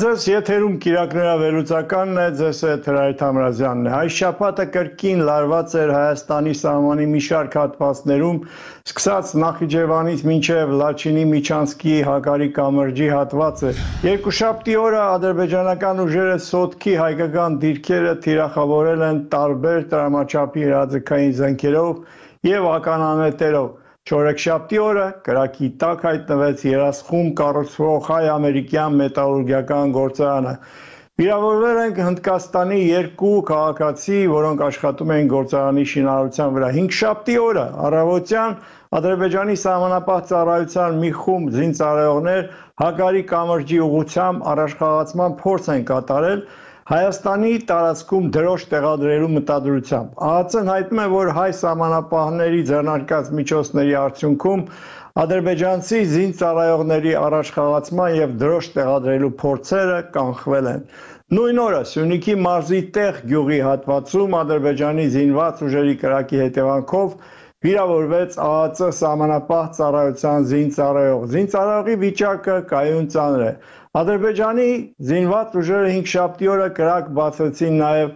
Ձեզ եթերում կիրակնորա վերլուծականն է, ձեզ հետ Հրայր Թամրազյանն է։ Այս շաբաթը կրկին լարված էր Հայաստանի սահմանի մի շարք հատվածներում, սկսած Նախիջևանից մինչև Լաչինի Միչանսկի Հակարի կամրջի հատվածը։ Երկուշաբթի օրը ադրբեջանական ուժերը Սոտքի հայկական դիրքերը թիրախավորել են տարբեր տրամաչափի հրաձգային զենքերով և ականանետերով։ Չորեքշաբթի օրը կրակի տակ հայտնվեց երասխում կառուցվող հայ-ամերիկյան մետալուրգիական գործարանը։ Վիրավորվել են Հնդկաստանի երկու քաղաքացի, որոնք աշխատում էին գործարանի շինարարության վրա։ Հինգշաբթի օրը առավոտյան Ադրբեջանի սահմանապահ ծառայության մի խումբ զինծառայողներ Հակարի կամրջի ուղղությամբ առաջխաղացման փորձ են կատարել Հայաստանի տարածքում դրոշ տեղադրելու մտադրությամբ։ ԱԱԾ-ն հայտնում է, որ հայ սահմանապահների ձեռնարկած միջոցների արդյունքում ադրբեջանցի զինծառայողների առաջխաղացման և դրոշ տեղադրելու փորձերը կանխվել են։ Նույն օրը Սյունիքի մարզի Տեղ գյուղի հատվածում ադրբեջանի զինված ուժերի կրակի հետևանքով վիրավորվեց ԱԱԾ սահմանապահ ծառայության զինծառայող։ Զինծառայողի վիճակը կայուն ծանր է։ Ադրբեջանի զինված ուժերը հինգշաբթի օրը կրակ բացեցին նաև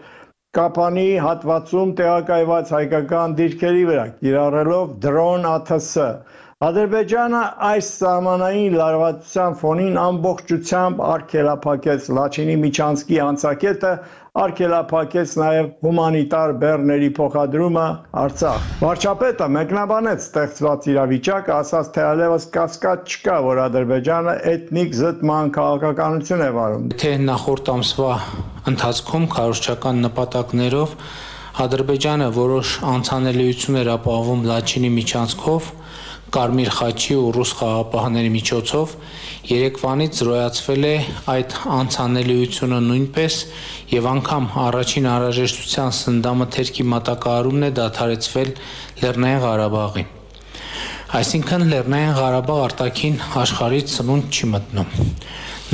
Կապանի հատվածում տեղակայված հայկական դիրքերի վրա, կիրառելով դրոն ԱԹՍ։ Ադրբեջանը այս սահմանային լարվածության ֆոնին ամբողջությամբ արգելափակեց Լաչինի Միչանսկի անցակետը, արգելափակեց նաև հումանիտար բեռների փոխադրումը Արցախ։ Վարչապետը մեկնաբանեց ստեղծված իրավիճակը, ասաց, թե այլևս կասկած չկա, որ Ադրբեջանը էթնիկ զտման քաղաքականություն է վարում։ Թե նախորդ ամսվա ընթացքում քարոզչական նպատակներով Ադրբեջանը որոշ անցանելիություն էր ապահովում Լաչինի Միչանսկով, Կարմիր խաչի ու ռուս խաղապահների միջոցով, երեկվանից զրոյացվել է այդ անցանելիությունը նույնպես և անգամ առաջին անհրաժեշտության սննդամթերքի մատակարարումն է դադարեցվել Լեռնային Ղարաբաղի։ Այսինքն Լեռնային Ղարաբաղ արտաքին աշխարհից սնունդ չի մտնում։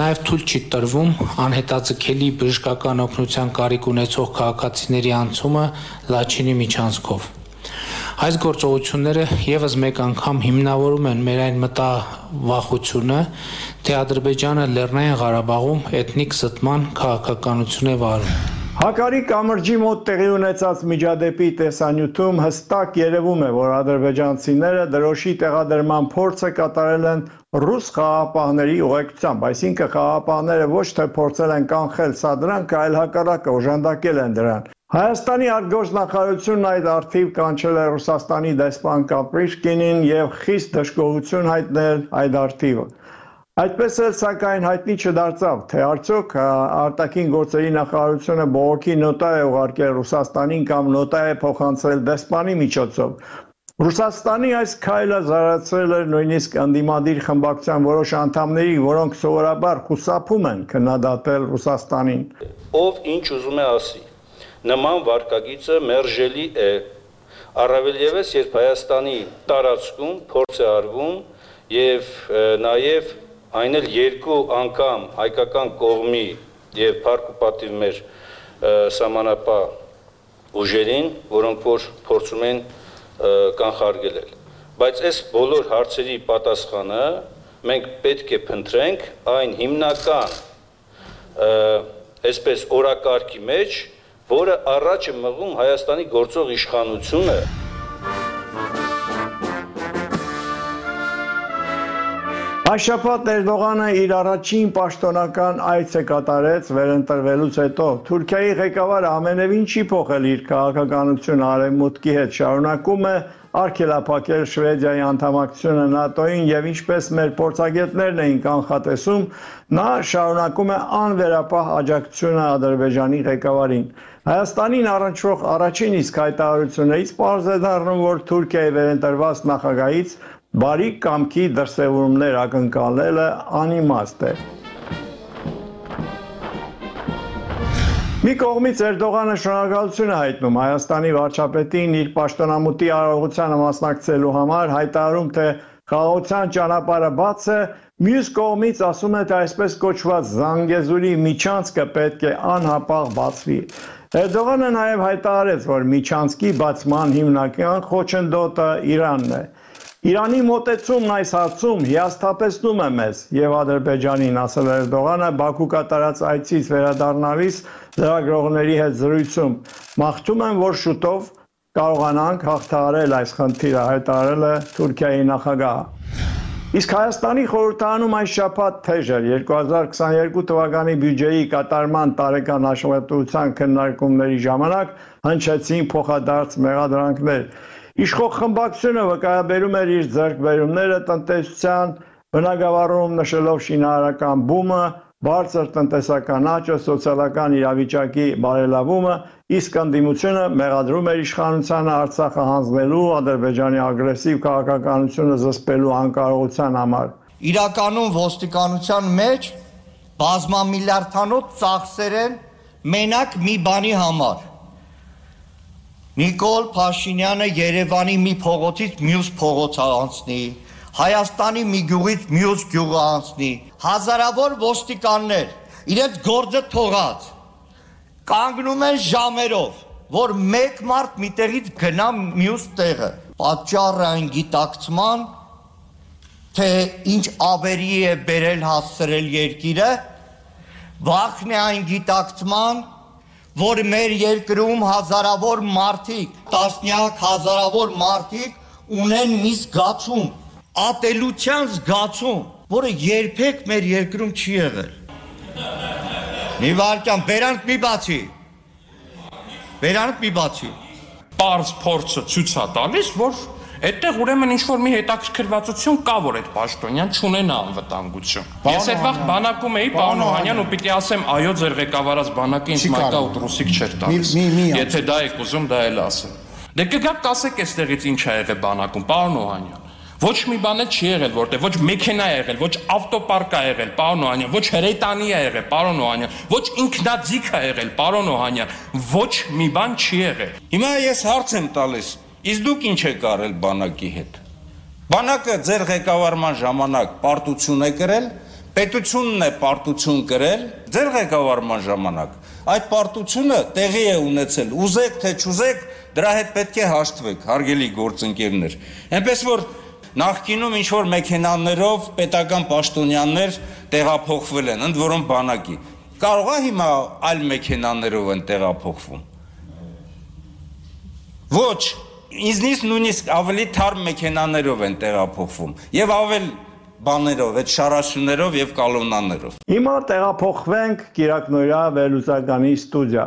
Նաև թույլ չի տրվում անհետաձգելի բժշկական օգնության կարիք ունեցող քաղաքացիների անցումը Լաչինի Միչանսկով։ Այս գործողությունները ևս մեկ անգամ հիմնավորում են մեր այն մտավախությունը, թե Ադրբեջանը Լեռնային Ղարաբաղում էթնիկ զտման քաղաքականություն է վարում։ Հակարի կամրջի մոտ տեղի ունեցած միջադեպի տեսանյութում հստակ երևում է, որ ադրբեջանցիները դրոշի տեղադրման փորձը կատարել են ռուս խաղապահների ուղեկցությամբ, այսինքն խաղապահները ոչ թե փորձել են կանխել սադրանքը, այլ հակառակը օժանդակել են դրան։ Հայաստանի արտգործնախարարությունն այդ առթիվ կանչել է Ռուսաստանի դեսպան Կապրիշկինին և խիստ դժգոհություն հայտնել այդ առթիվը։ Այդպես էլ սակայն հայտնի չդարձավ, թե արդյոք արտաքին գործերի նախարարությունը բողոքի նոտա է ուղարկել Ռուսաստանին կամ նոտա է փոխանցել դեսպանի միջոցով։ Ռուսաստանի այս քայլը զարացրել էր նույնիսկ ընդդիմադիր խմբակցության որոշ անդամների, որոնք սովորաբար խուսափում են քննադատել Ռուսաստանին։ Ով ինչ ուզում է ասի, նման վարկագիծը մերժելի է, առավել ևս, երբ Հայաստանի տարածքում փորձ է արվում և նաև այն էլ երկու անգամ հայկական կողմի և փառք ու պատիվ մեր սահմանապահ ուժերին, որոնք որ փորձում են կանխարգելել։ Բայց այս բոլոր հարցերի պատասխանը մենք պետք է փնտրենք այն հիմնական այսպես օրակարգի մեջ, որը առաջ է մղում Հայաստանի գործող իշխանությունը։ Այս շաբաթ Էրդողանը իր առաջին պաշտոնական այցը կատարեց վերընտրվելուց հետո։ Թուրքիայի ղեկավարը ամենևին չի փոխել իր քաղաքականությունը արևմուտքի հետ, շարունակում է արգելափակել Շվեդիայի անդամակցությունը ՆԱՏՕ-ին և ինչպես մեր փորձագետներն էին կանխատեսում, նա շարունակում է անվերապահ աջակցությունը Ադրբեջանի ղեկավարին։ Հայաստանին առնչվող առաջին իսկ հայտարարություններից պարզ է դառնում, որ Թուրքիայի վերընտրված նախագահից բարի կամքի դրսևորումներ ակնկալելը անիմաստ է։ Մի կողմից Էրդողանը շնորհակալություն է հայտնում Հայաստանի վարչապետին իր պաշտոնամուտի արարողությանը մասնակցելու համար, հայտարարում, թե խաղաղության ճանապարհը բաց է, մյուս կողմից ասում է, թե այսպես կոչված Զանգեզուրի Միչանսկը պետք է անհապաղ բացվի։ Էրդողանը նաև հայտարարեց, որ Միչանսկի բացման հիմնական խոչընդոտը Իրանն է։ Իրանի մոտեցումն այս հարցում հիասթափեցնում է մեզ եւ Ադրբեջանին, ասել Էրդողանը Բաքու կատարած այցից վերադառնալիս լրագրողների հետ զրույցում։ Մաղթում եմ, որ շուտով կարողանանք հաղթահարել այս խնդիրը, հայտարարել է Թուրքիայի նախագահը։ Իսկ Հայաստանի խորհրդարանում այս շաբաթ թեժ էր 2022 թվականի բյուջեի կատարման տարեկան հաշվետվության քննարկումների ժամանակ հնչեցին փոխադարձ մեղադրանքներ։ Իշխող խմբակցությունը վկայաբերում էր իր ձեռքբերումները տնտեսության բնագավառում, նշելով շինարարական բումը, բարձր տնտեսական աճը, սոցիալական իրավիճակի բարելավումը, իսկ ընդդիմությունը մեղադրում էր իշխանությանը Արցախը հանձնելու, Ադրբեջանի ագրեսիվ քաղաքականությունը զսպելու անկարողության համար։ Իրականում ոստիկանության մեջ բազմամիլիարդանոց ծախսեր են մենակ մի բանի համար։ Նիկոլ Փաշինյանը Երևանի մի փողոցից մյուս փողոց անցնի, Հայաստանի մի գյուղից մյուս գյուղ անցնի, հազարավոր ոստիկաններ իրենց գործը թողած կանգնում են ժամերով, որ մեկ մարդ մի տեղից գնա մյուս տեղը։ Պատճառը այն գիտակցման, թե ինչ ավերի է բերել հասցրել երկիրը, վախն է այն գիտակցման, որ մեր երկրում հազարավոր մարդիկ, տասնյակ հազարավոր մարդիկ ունեն մի զգացում, ատելության զգացում, որը երբեք մեր երկրում չի եղել։ Մի վարքյան, բերանք մի բացի։ Բերանք մի բացի։ Պարզ փորձը ցույց է տալիս, որ այդտեղ ուրեմն ինչ-որ մի հետաքրքրվածություն կա, որ այդ պաշտոնյան չունենա անվտանգություն։ Ես այդ վաղ բանակում էի, պարոն Օհանյան, ու պիտի ասեմ, այո, ձեր ղեկավարած բանակը ինձ մայկա ու ռուսիկ չէր տալիս։ Եթե դա եք ուզում, դա էլ ասեմ։ Դե կգաք կասեք այստեղից ինչ ա եղել բանակում, պարոն Օհանյան։ Ոչ մի բան չի եղել, որտեղ ոչ մեքենա ա եղել, ոչ ավտոպարկ ա եղել, պարոն Օհանյան, ոչ հրետանի ա եղել, պարոն Օհանյան, ոչ ինքնաձիգ ա եղել, պարոն Օհանյան, ոչ մի բան չի եղել։ Հիմա ես հարց եմ տալիս, իսկ դուք ինչ եք արել բանակի հետ։ Բանակը ձեր ղեկավարման ժամանակ պարտություն է կրել, պետությունն է պարտություն կրել ձեր ղեկավարման ժամանակ։ Այդ պարտությունը տեղի է ունեցել, ուզեք թե չուզեք, դրա հետ պետք է հաշտվեք, հարգելի գործընկերներ։ Այնպես որ նախկինում ինչ-որ մեքենաներով պետական պաշտոնյաներ տեղափոխվել են, ընդ որում բանակի։ Կարող է հիմա այլ մեքենաներով են տեղափոխվում։ Ոչ, ինձնից նույնիսկ ավելի թարմ մեքենաներով են տեղափոխվում եւ ավել բաներով, այդ շարաշուներով եւ կալոնաներով։ Հիմա տեղափոխվենք Կիրակնորյա վերլուծականի ստուդիա։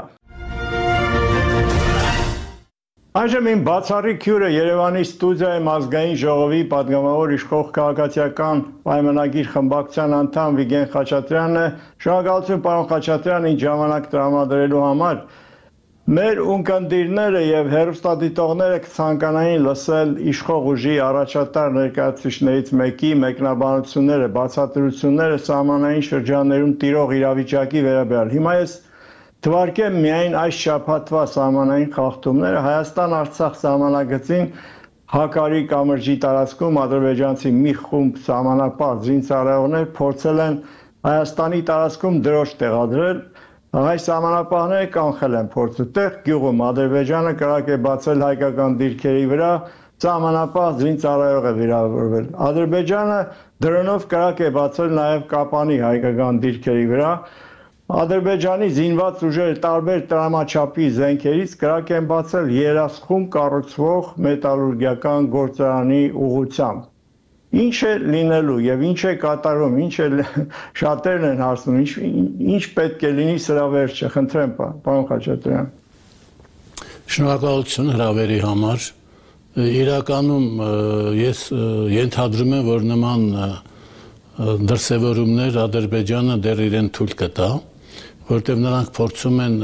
Այժմ իմ բացառիկ հյուրը Երևանի ստուդիայում ազգային ժողովի պատգամավոր իշխող քաղաքացիական պայմանագիր խմբակցության անդամ Վիգեն Խաչատրյանն է։ Շնորհակալություն պարոն Խաչատրյան, ինձ ժամանակ տրամադրելու համար։ Մեր ունկնդիրները եւ հեռուստադիտողները կցանկանային լսել իշխող ուժի առաջատար ներկայացուցիչներից մեկի մեկնաբանությունները, բացատրությունները սահմանային շրջաններում տիրող իրավիճակի վերաբերյալ։ Հիմա ես թվարկեմ միայն այս շաբաթվա սահմանային խախտումները Հայաստան-Արցախ սահմանագծին Հակարի կամրջի տարածքում ադրբեջանցի մի խումբ սահմանապահ զինծառայողներ փորձել են Հայաստանի տարածքում դրոշ տեղադրել։ Այս սահմանապահները կանխել են փորձը տեղ գյուղում Ադրբեջանը կրակ է բացել հայկական դիրքերի վրա, սահմանապահ զինծառայող է վիրավորվել։ Ադրբեջանը դրոնով կրակ է բացել նաև Կապանի հայկական դիրքերի վրա։ Ադրբեջանի զինված ուժերը տարբեր տրամաչափի զենքերից կրակ են բացել երասխում կառուցվող մետալուրգիական գործարանի ուղղությամբ։ Ինչ է լինելու եւ ինչ է կատարում, ինչ է շատերն են հարցնում, ինչ պետք է լինի սրա վերջը, խնդրեմ, պարոն Խաչատրյան։ Շնորհակալություն հրավերի համար։ Իրականում ես ենթադրում եմ, որ նման դրսևորումներ Ադրբեջանը դեռ իրեն թույլ կտա, որտեղ նրանք փորձում են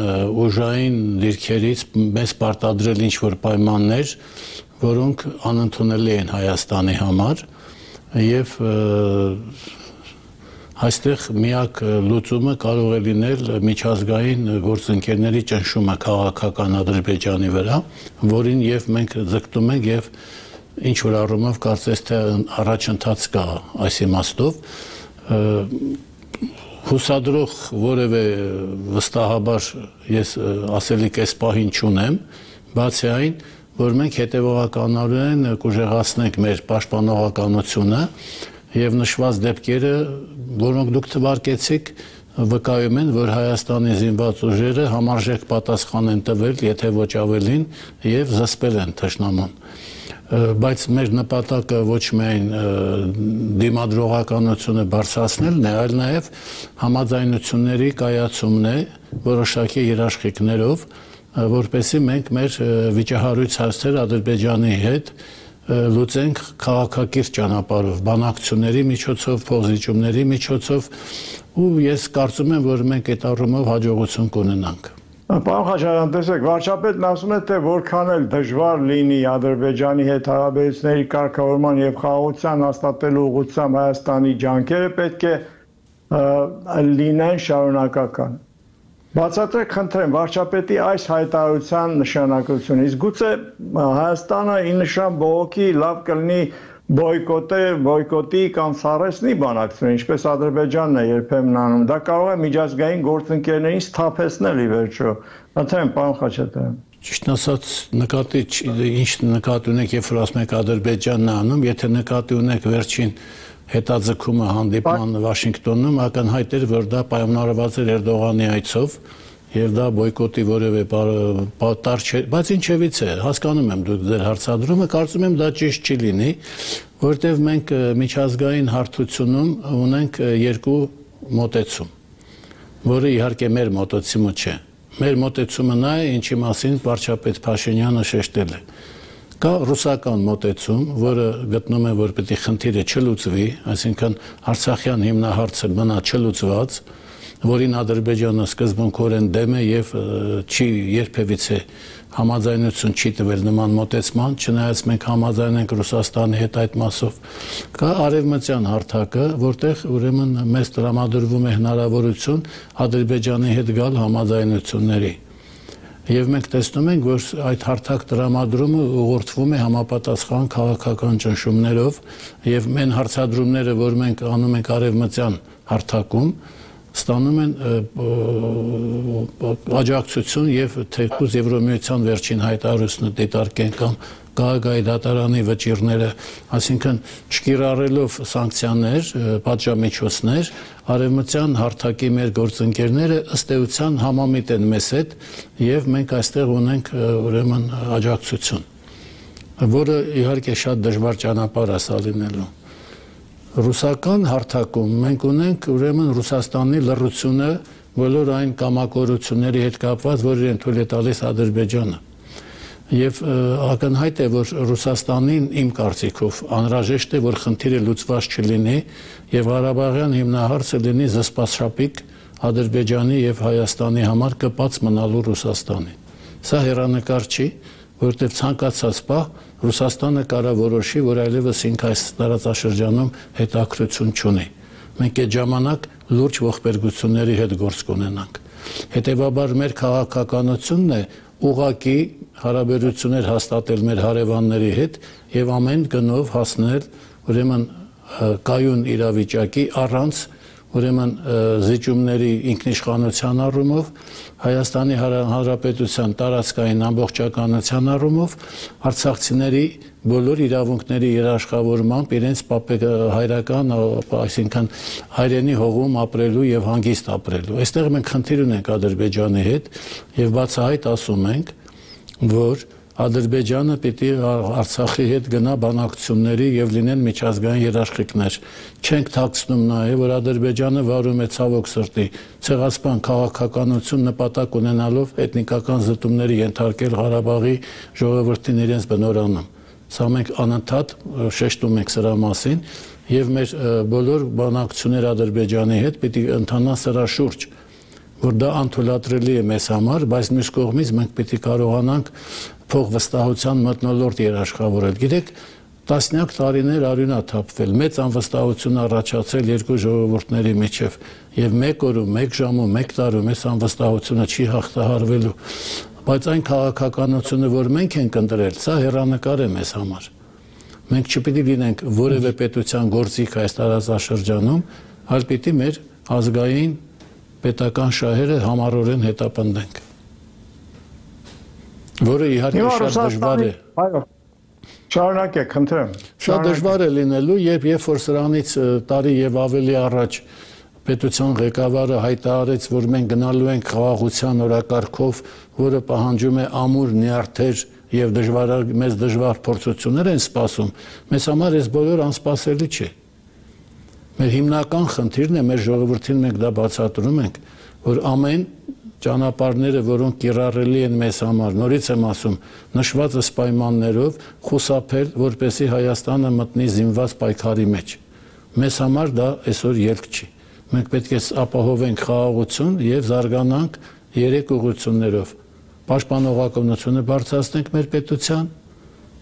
ուժային դիրքերից մեզ պարտադրել ինչ-որ պայմաններ, որոնք անընդունելի են Հայաստանի համար, եւ այստեղ միակ լուծումը կարող է լինել միջազգային գործընկերների ճնշումը քաղաքական Ադրբեջանի վրա, որին եւ մենք ձգտում ենք եւ ինչ որ առումով կարծես թե առաջընթաց կա այս իմաստով հուսադրող որևէ վստահաբար ես ասելիք այս պահին չունեմ, բացի այն, որ մենք հետևողականորեն կուժեղացնենք մեր պաշտպանողականությունը եւ նշված դեպքերը, որոնք դուք թվարկեցիք, վկայում են, որ Հայաստանի զինված ուժերը համարժեք պատասխան են տվել, եթե ոչ ավելին, եւ զսպել են թշնամուն։ Բայց մեր նպատակը ոչ միայն դիմադրողականությունը բարձրացնելն է, այլ նաեւ համաձայնությունների կայացումն է որոշակի երաշխիքներով, որպեսզի մենք մեր վիճահարույց հարցերը Ադրբեջանի հետ լուծենք քաղաքակիրթ ճանապարհով, բանակցությունների միջոցով, փոխզիջումների միջոցով, ու ես կարծում եմ, որ մենք այդ առումով հաջողություն կունենանք։ Պարոն Խաչատրյան, տեսեք, վարչապետն ասում է, թե որքան էլ դժվար լինի Ադրբեջանի հետ հարաբերությունների կարգավորման եւ խաղաղության հաստատելու ուղղությամբ Հայաստանի ջանքերը պետք է լինեն շարունակական։ Բացատրեք, խնդրեմ, վարչապետի այս հայտարարության նշանակությունը։ Իսկ գուցե Հայաստանը ի նշան բողոքի լավ կլինի բոյկոտի կամ սառեցնի բանակցությունը, ինչպես Ադրբեջանն է երբեմն անում։ Դա կարող է միջազգային գործընկերներին սթափեցնել ի վերջո։ Խնդրեմ, պարոն Խաչատրյան։ Ճիշտ ասած, ինչ նկատի ունեք, երբ որ ասում եք Ադրբեջանն է անում, եթե նկատի ունեք վերջին հետաձգումը հանդիպման Վաշինգտոնում, ակնհայտ էր, որ դա պայմանավորված էր Էրդողանի այցով, եւ դա բոյկոտի որևէ պատար չէ, բայց ինչևից է, հասկանում եմ դուք ձեր հարցադրումը, կարծում եմ դա ճիշտ չի լինի, որտեղ մենք միջազգային հարթությունում ունենք երկու մոտեցում, որը իհարկե մեր մոտեցումը չէ։ Մեր մոտեցումը նա է, ինչի մասին վարչապետ Փաշինյանը շեշտել է։ Կա ռուսական մոտեցում, որը գտնում է, որ պետք է խնդիրը չլուծվի, այսինքն Արցախյան հիմնահարցը մնա չլուծված, որին Ադրբեջանը սկզբունքորեն դեմ է եւ չի երբևիցե համաձայնություն չի տվել նման մոտեցման, չնայած մենք համաձայն ենք Ռուսաստանի հետ այդ մասով։ Կա արևմտյան հարթակը, որտեղ ուրեմն մեզ տրամադրվում է հնարավորություն Ադրբեջանի հետ գալ համաձայնությունների։ Եվ մենք տեսնում ենք, որ այդ հարթակ տրամադրումը ուղղորդվում է համապատասխան քաղաքական ճնշումներով եւ մեն հարցադրումները, որ մենք անում ենք արևմտյան հարթակում, ստանում են աջակցություն եւ թեկուզ Եվրոմիության վերջին հայտարարությունը դիտարկեն կամ Գագայի դատարանի վճիրները, այսինքն չկիրառելով սանկցիաներ, պատժամիջոցներ, արևմտյան հարթակի մեր գործընկերները ըստ էության համամիտ են մեզ հետ եւ մենք այստեղ ունենք ուրեմն աջակցություն, որը իհարկե շատ դժվար ճանապարհ է սա լինելու։ Ռուսական հարթակում մենք ունենք ուրեմն Ռուսաստանի լռությունը բոլոր այն կամակորությունների հետ կապված, որ իրեն թույլ է տալիս Ադրբեջանը։ Եվ ակնհայտ է, որ Ռուսաստանին իմ կարծիքով անհրաժեշտ է, որ խնդիրը լուծված չլինի եւ Ղարաբաղյան հիմնահարցը լինի զսպասշապիկ Ադրբեջանի եւ Հայաստանի համար կպած մնալու Ռուսաստանի։ Սա հեռանկար չի, որտեղ ցանկացած պահ Ռուսաստանը կարող որոշի, որ այլևս ինքը այս տարածաշրջանում հետաքրություն չունի։ Մենք այդ ժամանակ լուրջ ողբերգությունների հետ գործ կունենանք։ Հետևաբար մեր քաղաքականությունն է ուղղակի հարաբերություններ հաստատել մեր հարևանների հետ եւ ամեն գնով հասնել ուրեմն կայուն իրավիճակի առանց ուրեմն զիջումների ինքնիշխանության առումով, Հայաստանի Հանրապետության տարածքային ամբողջականության առումով, արցախցիների բոլոր իրավունքների երաշխավորմամբ իրենց հայրական, այսինքն հայրենի հողում ապրելու եւ հանգիստ ապրելու։ Այստեղ մենք խնդիր ունենք Ադրբեջանի հետ եւ բացահայտ ասում ենք, որ Ադրբեջանը պիտի Արցախի հետ գնա բանակցությունների եւ լինեն միջազգային երաշխիքներ։ Չենք թաքցնում նաեւ, որ Ադրբեջանը վարում է ցավոք սրտի ցեղասպան քաղաքականություն նպատակ ունենալով էթնիկական զտումների ենթարկել Ղարաբաղի ժողովրդին իրենց բնորանում։ Սա մենք անընդհատ շեշտում ենք սրա մասին եւ մեր բոլոր բանակցությունները Ադրբեջանի հետ պիտի ընթանան սրա շուրջ, որ դա անթույլատրելի է մեզ համար, բայց մյուս կողմից մենք պիտի կարողանանք փոխվստահության մթնոլորտ երաշխավորել։ Գիտեք, տասնյակ տարիներ արյունա թափվել, մեծ անվստահություն առաջացել երկու ժողովուրդների միջև եւ մեկ օրում, մեկ ժամում, մեկ տարում այս անվստահությունը չի հաղթահարվելու։ Բայց այն քաղաքականությունը, որ մենք ենք ընտրել, սա հեռանկար է մեզ համար։ Մենք չպիտի լինենք որևէ պետության գործիք այս տարածաշրջանում, այլ պիտի մեր ազգային պետական շահերը համառորեն հետապնդենք։ որը իհարկե շատ դժվար է։ Այո։ Շարունակեք, խնդրեմ։ Շատ դժվար է լինելու, երբ որ սրանից տարի եւ ավելի առաջ պետության ղեկավարը հայտարարեց, որ մենք գնալու ենք խաղաղության օրակարգով, որը պահանջում է ամուր նյարդեր եւ մեծ դժվար փորձություններ են սպասում, մեզ համար այս բոլոր անսպասելի չէ։ Մեր հիմնական խնդիրն է, մեր ժողովրդին մենք դա բացատրում ենք, որ ամեն ճանապարհները, որոնք կիրառելի են մեզ համար, նորից եմ ասում, նշված պայմաններով խուսափել, որպեսզի Հայաստանը մտնի զինված պայքարի մեջ։ Մեզ համար դա այսօր ելք չի։ Մենք պետք է ապահովենք խաղաղություն եւ զարգանանք 3 ուղղություններով։ Պաշտպանողականությունը բարձրացնենք մեր պետության,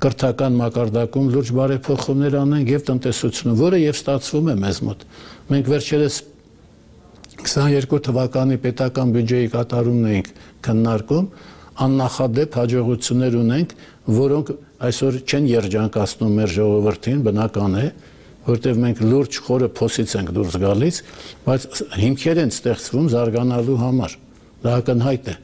կրթական մակարդակում լուրջ բարեփոխումներ անենք եւ տնտեսությունը, որը եւ ստացվում է մեզ մոտ։ Մենք վերջերս 22 թվականի պետական բյուջեի կատարումն ենք քննարկում, աննախադեպ հաջողություններ ունենք, որոնք այսօր չեն երջանկացնում մեր ժողովրդին, բնական է, որտեղ մենք լուրջ խորը փոսից ենք դուրս գալիս, բայց հիմքեր են ստեղծվում զարգանալու համար։ Դա ակնհայտ է։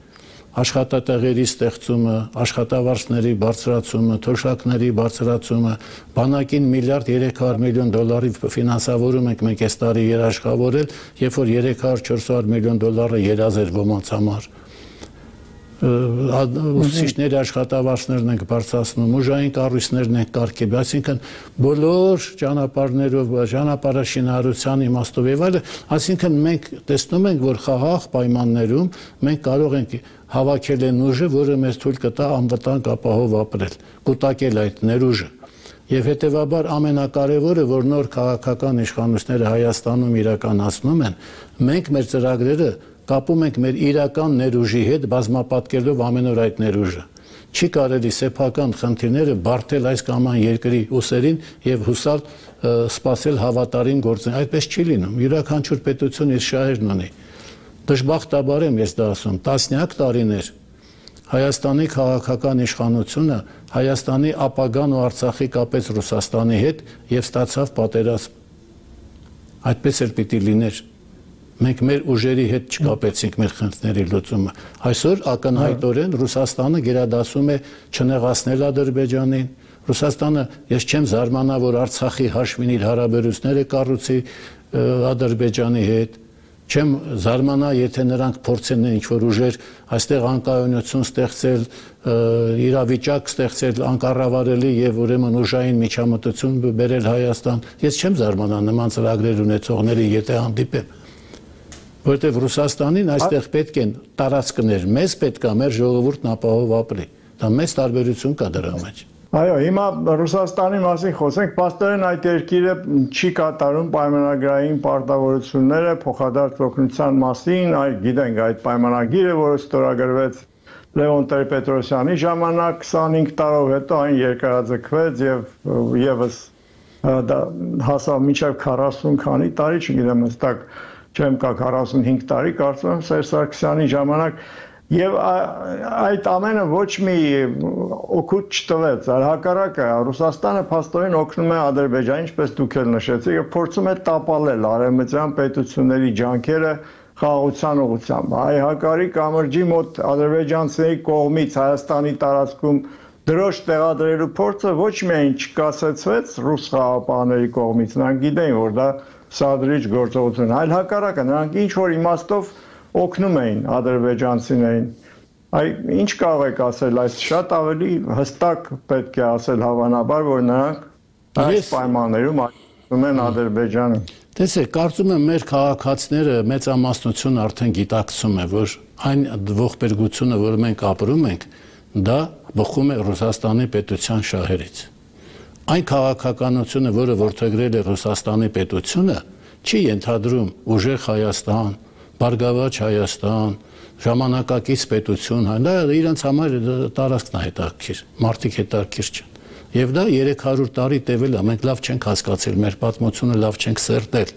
Աշխատատեղերի ստեղծումը, աշխատավարձների բարձրացումը, թոշակների բարձրացումը, բանակին $1.3 միլիարդ ֆինանսավորում ենք մենք այս տարի երաշխավորել, երբ որ $300-400 միլիոն երազ էր ոմանց համար։ Ուսուցիչների աշխատավարձներն ենք բարձրացնում, ուժային կառույցներն ենք կարգել, այսինքն բոլոր ճանապարհներով, ճանապարհաշինարարության իմաստով եւ այլն, այսինքն մենք տեսնում ենք, որ խաղաղ պայմաններում մենք կարող ենք հավաքել այն ուժը, որը մեզ թույլ կտա անվտանգ ապահով ապրել, կուտակել այդ ներուժը։ Եվ հետեւաբար ամենակարևորը, որ նոր քաղաքական իշխանությունները Հայաստանում իրականացնում են, մենք մեր ծրագրերը կապում ենք մեր իրական ներուժի հետ, բազմապատկելով ամեն օր այդ ներուժը։ Չի կարելի սեփական խնդիրները բարթել այս կամ այն երկրի ուսերին եւ հուսալ սпасել հավատարիմ գործին։ Այդպես չի լինում։ Յուրաքանչյուր պետություն իր շահերն ունի։ Դժբախտաբար եմ ես դա ասում, տասնյակ տարիներ Հայաստանի քաղաքական իշխանությունը Հայաստանի ապագան ու Արցախի կապեց Ռուսաստանի հետ եւ ստացավ պատերազմ։ Այդպես էլ պիտի լիներ։ Մենք մեր ուժերի հետ չկապեցինք մեր խնդիրների լուծումը։ Այսօր ակնհայտորեն Ռուսաստանը գերադասում է չնեղացնել Ադրբեջանին։ Ռուսաստանը, ես չեմ զարմանա, որ Արցախի հաշվին իր հարաբերությունները կառուցի Ադրբեջանի հետ։ Չեմ զարմանա, եթե նրանք փորձեն ինչ-որ ուժեր այստեղ անկայունություն ստեղծել, իրավիճակ ստեղծել անկառավարելի եւ ուրեմն ուժային միջամտություն բերել Հայաստան։ Ես չեմ զարմանա նման ծրագրեր ունեցողների, եթե հանդիպեմ։ Որտեղ Ռուսաստանին այստեղ պետք են տարածքներ, մեզ պետք է մեր ժողովուրդն ապահով ապրի։ Դա մեծ տարբերություն կա դրա մեջ։ Այո, հիմա Ռուսաստանի մասին խոսենք, պաստորեն այդ երկիրը չի կատարում պայմանագրային պարտավորությունները փոխադարձ օգնության մասին, գիտենք այդ պայմանագիրը, որը ստորագրվեց Լևոն Տեր-Պետրոսյանի ժամանակ 25 տարով հետո այն երկարաձգվեց եւ եւս հասավ մինչեւ 40 քանի տարի, չգիտեմ հստակ չեմ կա 45 տարի, կարծում եմ Սերժ Սարգսյանի ժամանակ եւ այդ ամենը ոչ մի օգուտ չտվեց, հակառակը Ռուսաստանը փաստորեն օգնում է Ադրբեջանին, ինչպես դուք էլ նշեցիք, եւ փորձում է տապալել արևմտյան պետությունների ջանքերը խաղաղության ուղղությամբ։ Հայ-Հակարի կամրջի մոտ ադրբեջանցիների կողմից Հայաստանի տարածքում դրոշ տեղադրելու փորձը ոչ միայն չկասեցվեց ռուս խաղաղապահների կողմից, նրանք գիտեին, որ դա սադրիչ գործողություն, այլ հակառակը նրանք ինչ որ իմաստով օգնում էին ադրբեջանցիներին։ Ինչ կարող եք ասել, այս շատ ավելի հստակ պետք է ասել հավանաբար, որ նրանք այս պայմաններում օգնում են Ադրբեջանը։ Տեսեք, կարծում եմ մեր քաղաքացիները մեծամասնությունը արդեն գիտակցում է, որ այն ողբերգությունը, որ մենք ապրում ենք, դա բխում է Ռուսաստանի պետության շահերից։ Այն քաղաքականությունը, որը որդեգրել է Ռուսաստանի պետությունը, չի ենթադրում ուժեղ Հայաստան, Բարգավաճ Հայաստան, ժամանակակից պետություն, դա իրենց համար տարածքն է հետաքրքիր, մարդիկ հետաքրքիր չեն։ Եվ դա 300 տարի տևել է, մենք լավ չենք հասկացել, մեր պատմությունը լավ չենք սերտել։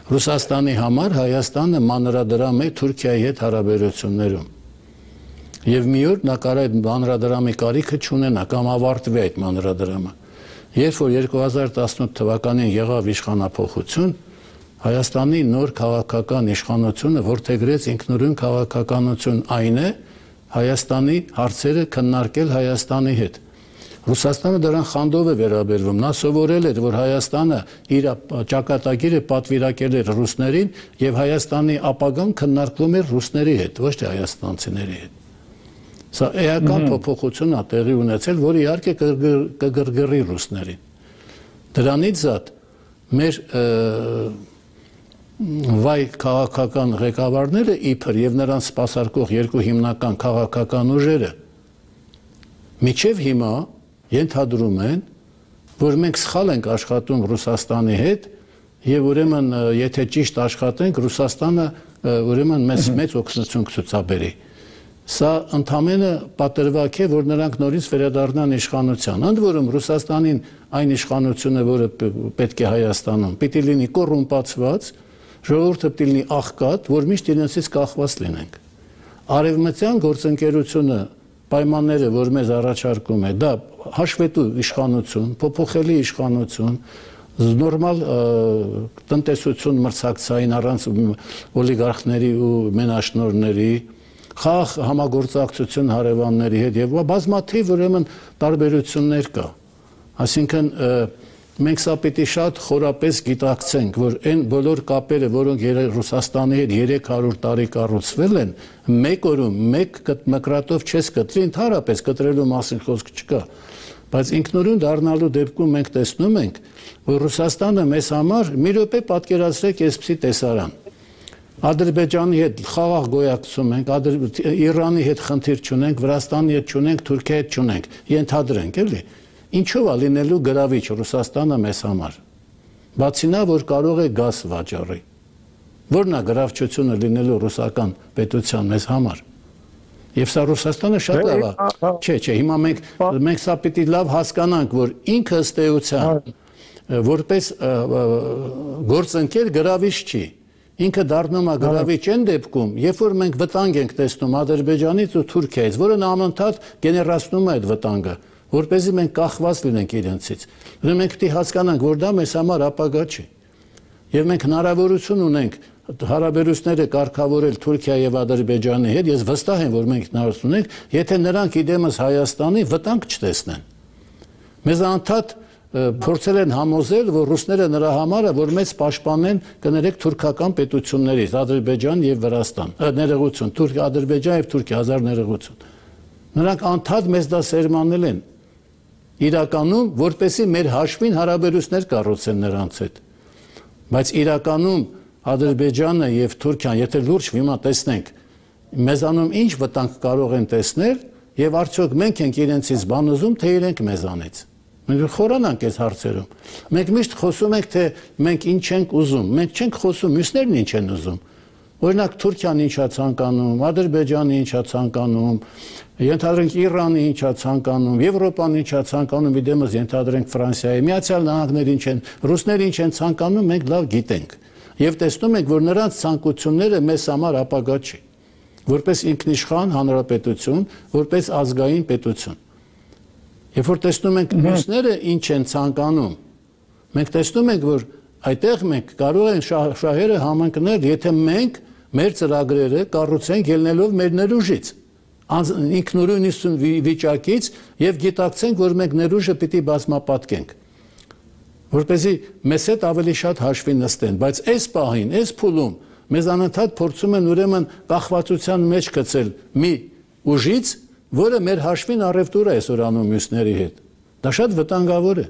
Ռուսաստանի համար Հայաստանը մանրադրամ է Թուրքիայի հետ հարաբերություններում։ Եվ մի օր նա կարող է մանրադրամի կարիքը չունենա կամ ավարտվի այդ մանրադրամը։ Երբ որ 2018 թվականին եղավ իշխանափոխություն, Հայաստանի նոր քաղաքական իշխանությունը որդեգրեց ինքնուրույն քաղաքականություն այն է, Հայաստանի հարցերը քննարկել Հայաստանի հետ։ Ռուսաստանը դրան խանդով է վերաբերվում։ Նա սովորել էր, որ Հայաստանը իր ճակատագիրը պատվիրակել էր ռուսներին եւ Հայաստանի ապագան քննարկվում էր ռուսների հետ, ոչ թե հայաստանցիների հետ։ Սա էական փոփոխություն է տեղի ունեցել, որը իհարկե կգրգռի ռուսներին։ Դրանից զատ մեր վայ քաղաքական ղեկավարները իբր եւ նրանց սպասարկող երկու հիմնական քաղաքական ուժերը միջև հիմա ենթադրում են, որ մենք սխալ ենք աշխատում Ռուսաստանի հետ եւ ուրեմն եթե ճիշտ աշխատենք Ռուսաստանը ուրեմն մեծ օգնություն կցուցաբերի։ Սա ընդամենը պատրվակ է, որ նրանք նորից վերադառնան իշխանության։ Ընդ որում Ռուսաստանին այն իշխանությունը, որը պետք է Հայաստանում, պիտի լինի կոռումպացված, ժողովուրդը պիտի լինի աղքատ, որ միշտ իրենցից կախված լինենք։ Արևմտյան գործընկերությունը պայմանները, որ մեզ առաջարկում է, դա հաշվետու իշխանություն, փոփոխելի իշխանություն, նորմալ տնտեսություն մրցակցային առանց օլիգարխների ու մենաշնորհների, խաղ համագործակցություն հարևանների հետ եւ բազմաթիվ ուրեմն տարբերություններ կա։ Այսինքն մենք սա պիտի շատ խորապես գիտակցենք, որ այն բոլոր կապերը, որոնք Ռուսաստանի հետ 300 տարի կառուցվել են, մեկ օրում, մեկ մկրատով չես կտրի, ընդհանրապես կտրելու մասին խոսք չկա։ Բայց ինքնուրույն դառնալու դեպքում մենք տեսնում ենք, որ Ռուսաստանը մեզ համար մի րոպե պատկերացրեք այսպիսի տեսարան։ Ադրբեջանի հետ խաղաղ գոյակցում ենք, Իրանի հետ խնդիր չունենք, Վրաստանի հետ չունենք, Թուրքիայի հետ չունենք, ենթադրենք, էլի։ Ինչով է լինելու գրավիչ Ռուսաստանը մեզ համար։ Բացի նա, որ կարող է գազ վաճառի։ Որն է գրավչությունը լինելու ռուսական պետության մեզ համար։ Եվ սա Ռուսաստանը շատ լավ է։ Չէ, հիմա մենք սա պիտի լավ հասկանանք, որ ինքը ըստ էության որպես գործընկեր գրավիչ չի։ Ինքը դառնում է գրավիչ այն դեպքում, երբ որ մենք վտանգ ենք տեսնում Ադրբեջանից ու Թուրքիայից, որը անընդհատ գեներացնում է այդ վտանգը, որպեսզի մենք կախված լինենք իրենցից։ Ուրեմն մենք պիտի հասկանանք, որ դա մեզ համար ապագա չի։ Եվ մենք հնարավորություն ունենք հարաբերությունները կարգավորել Թուրքիա եւ Ադրբեջանի հետ, ես վստահ եմ, որ մենք հնարավորություն ունենք, եթե նրանք իդեմս Հայաստանի վտանգ չտեսնեն։ Մեզ անդադ փորձել են համոզել, որ ռուսները նրա համար է, որ մեզ պաշտպանեն կներեք թուրքական պետություններից, Ադրբեջան եւ Վրաստան, ներողություն, Ադրբեջան եւ Թուրքիա, հազար ներողություն։ Նրանք անդադ մեզ դա սերմանել են։ Իրականում, որպեսզի մեր հաշվին հարաբերություններ կառուցեն նրանց հետ։ Բայց իրականում Ադրբեջանը եւ Թուրքիան, եթե լուրջ վիմա տեսնենք, մեզանում ինչ վտանգ կարող են տեսնել եւ արդյոք մենք ենք իրենցից բան ուզում, թե իրենք մեզանից։ Մենք խորանանք այս հարցերում։ Մենք միշտ խոսում ենք, թե մենք ինչ ենք ուզում, մենք չենք խոսում մյուսներն ինչ են ուզում։ Օրինակ Թուրքիան ինչա ցանկանում, Ադրբեջանը ինչա ցանկանում, ենթադրենք Իրանը ինչա ցանկանում, Եվրոպան ինչա ցանկանում, իդեմս ենթադրենք Ֆրանսիայի, Միացյալ Նահանգները ինչ են, ռուսները ինչ են ցանկանում, մենք լավ գիտենք։ Եվ տեսնում ենք, որ նրանց ցանկությունները մեզ համար ապագա չի, որպես ինքնիշխան հանրապետություն, որպես ազգային պետություն։ Երբ որ տեսնում ենք մյուսները ինչ են ցանկանում, մենք տեսնում ենք, որ այդտեղ մենք կարող ենք շահերը համընկնել, եթե մենք մեր ծրագրերը կառուցենք ելնելով մեր ներուժից, ինքնուրույն վիճակից եւ գիտակցենք, որ մենք ներուժը պիտի բազմապատկենք, որպեսզի մեզ հետ ավելի շատ հաշվի նստեն, բայց այս պահին, այս փուլում մեզ անընդհատ փորձում են ուրեմն կախվածության մեջ գցել մի ուժից, որը մեր հաշվին առևտուր է այսօր անում մյուսների հետ։ Դա շատ վտանգավոր է։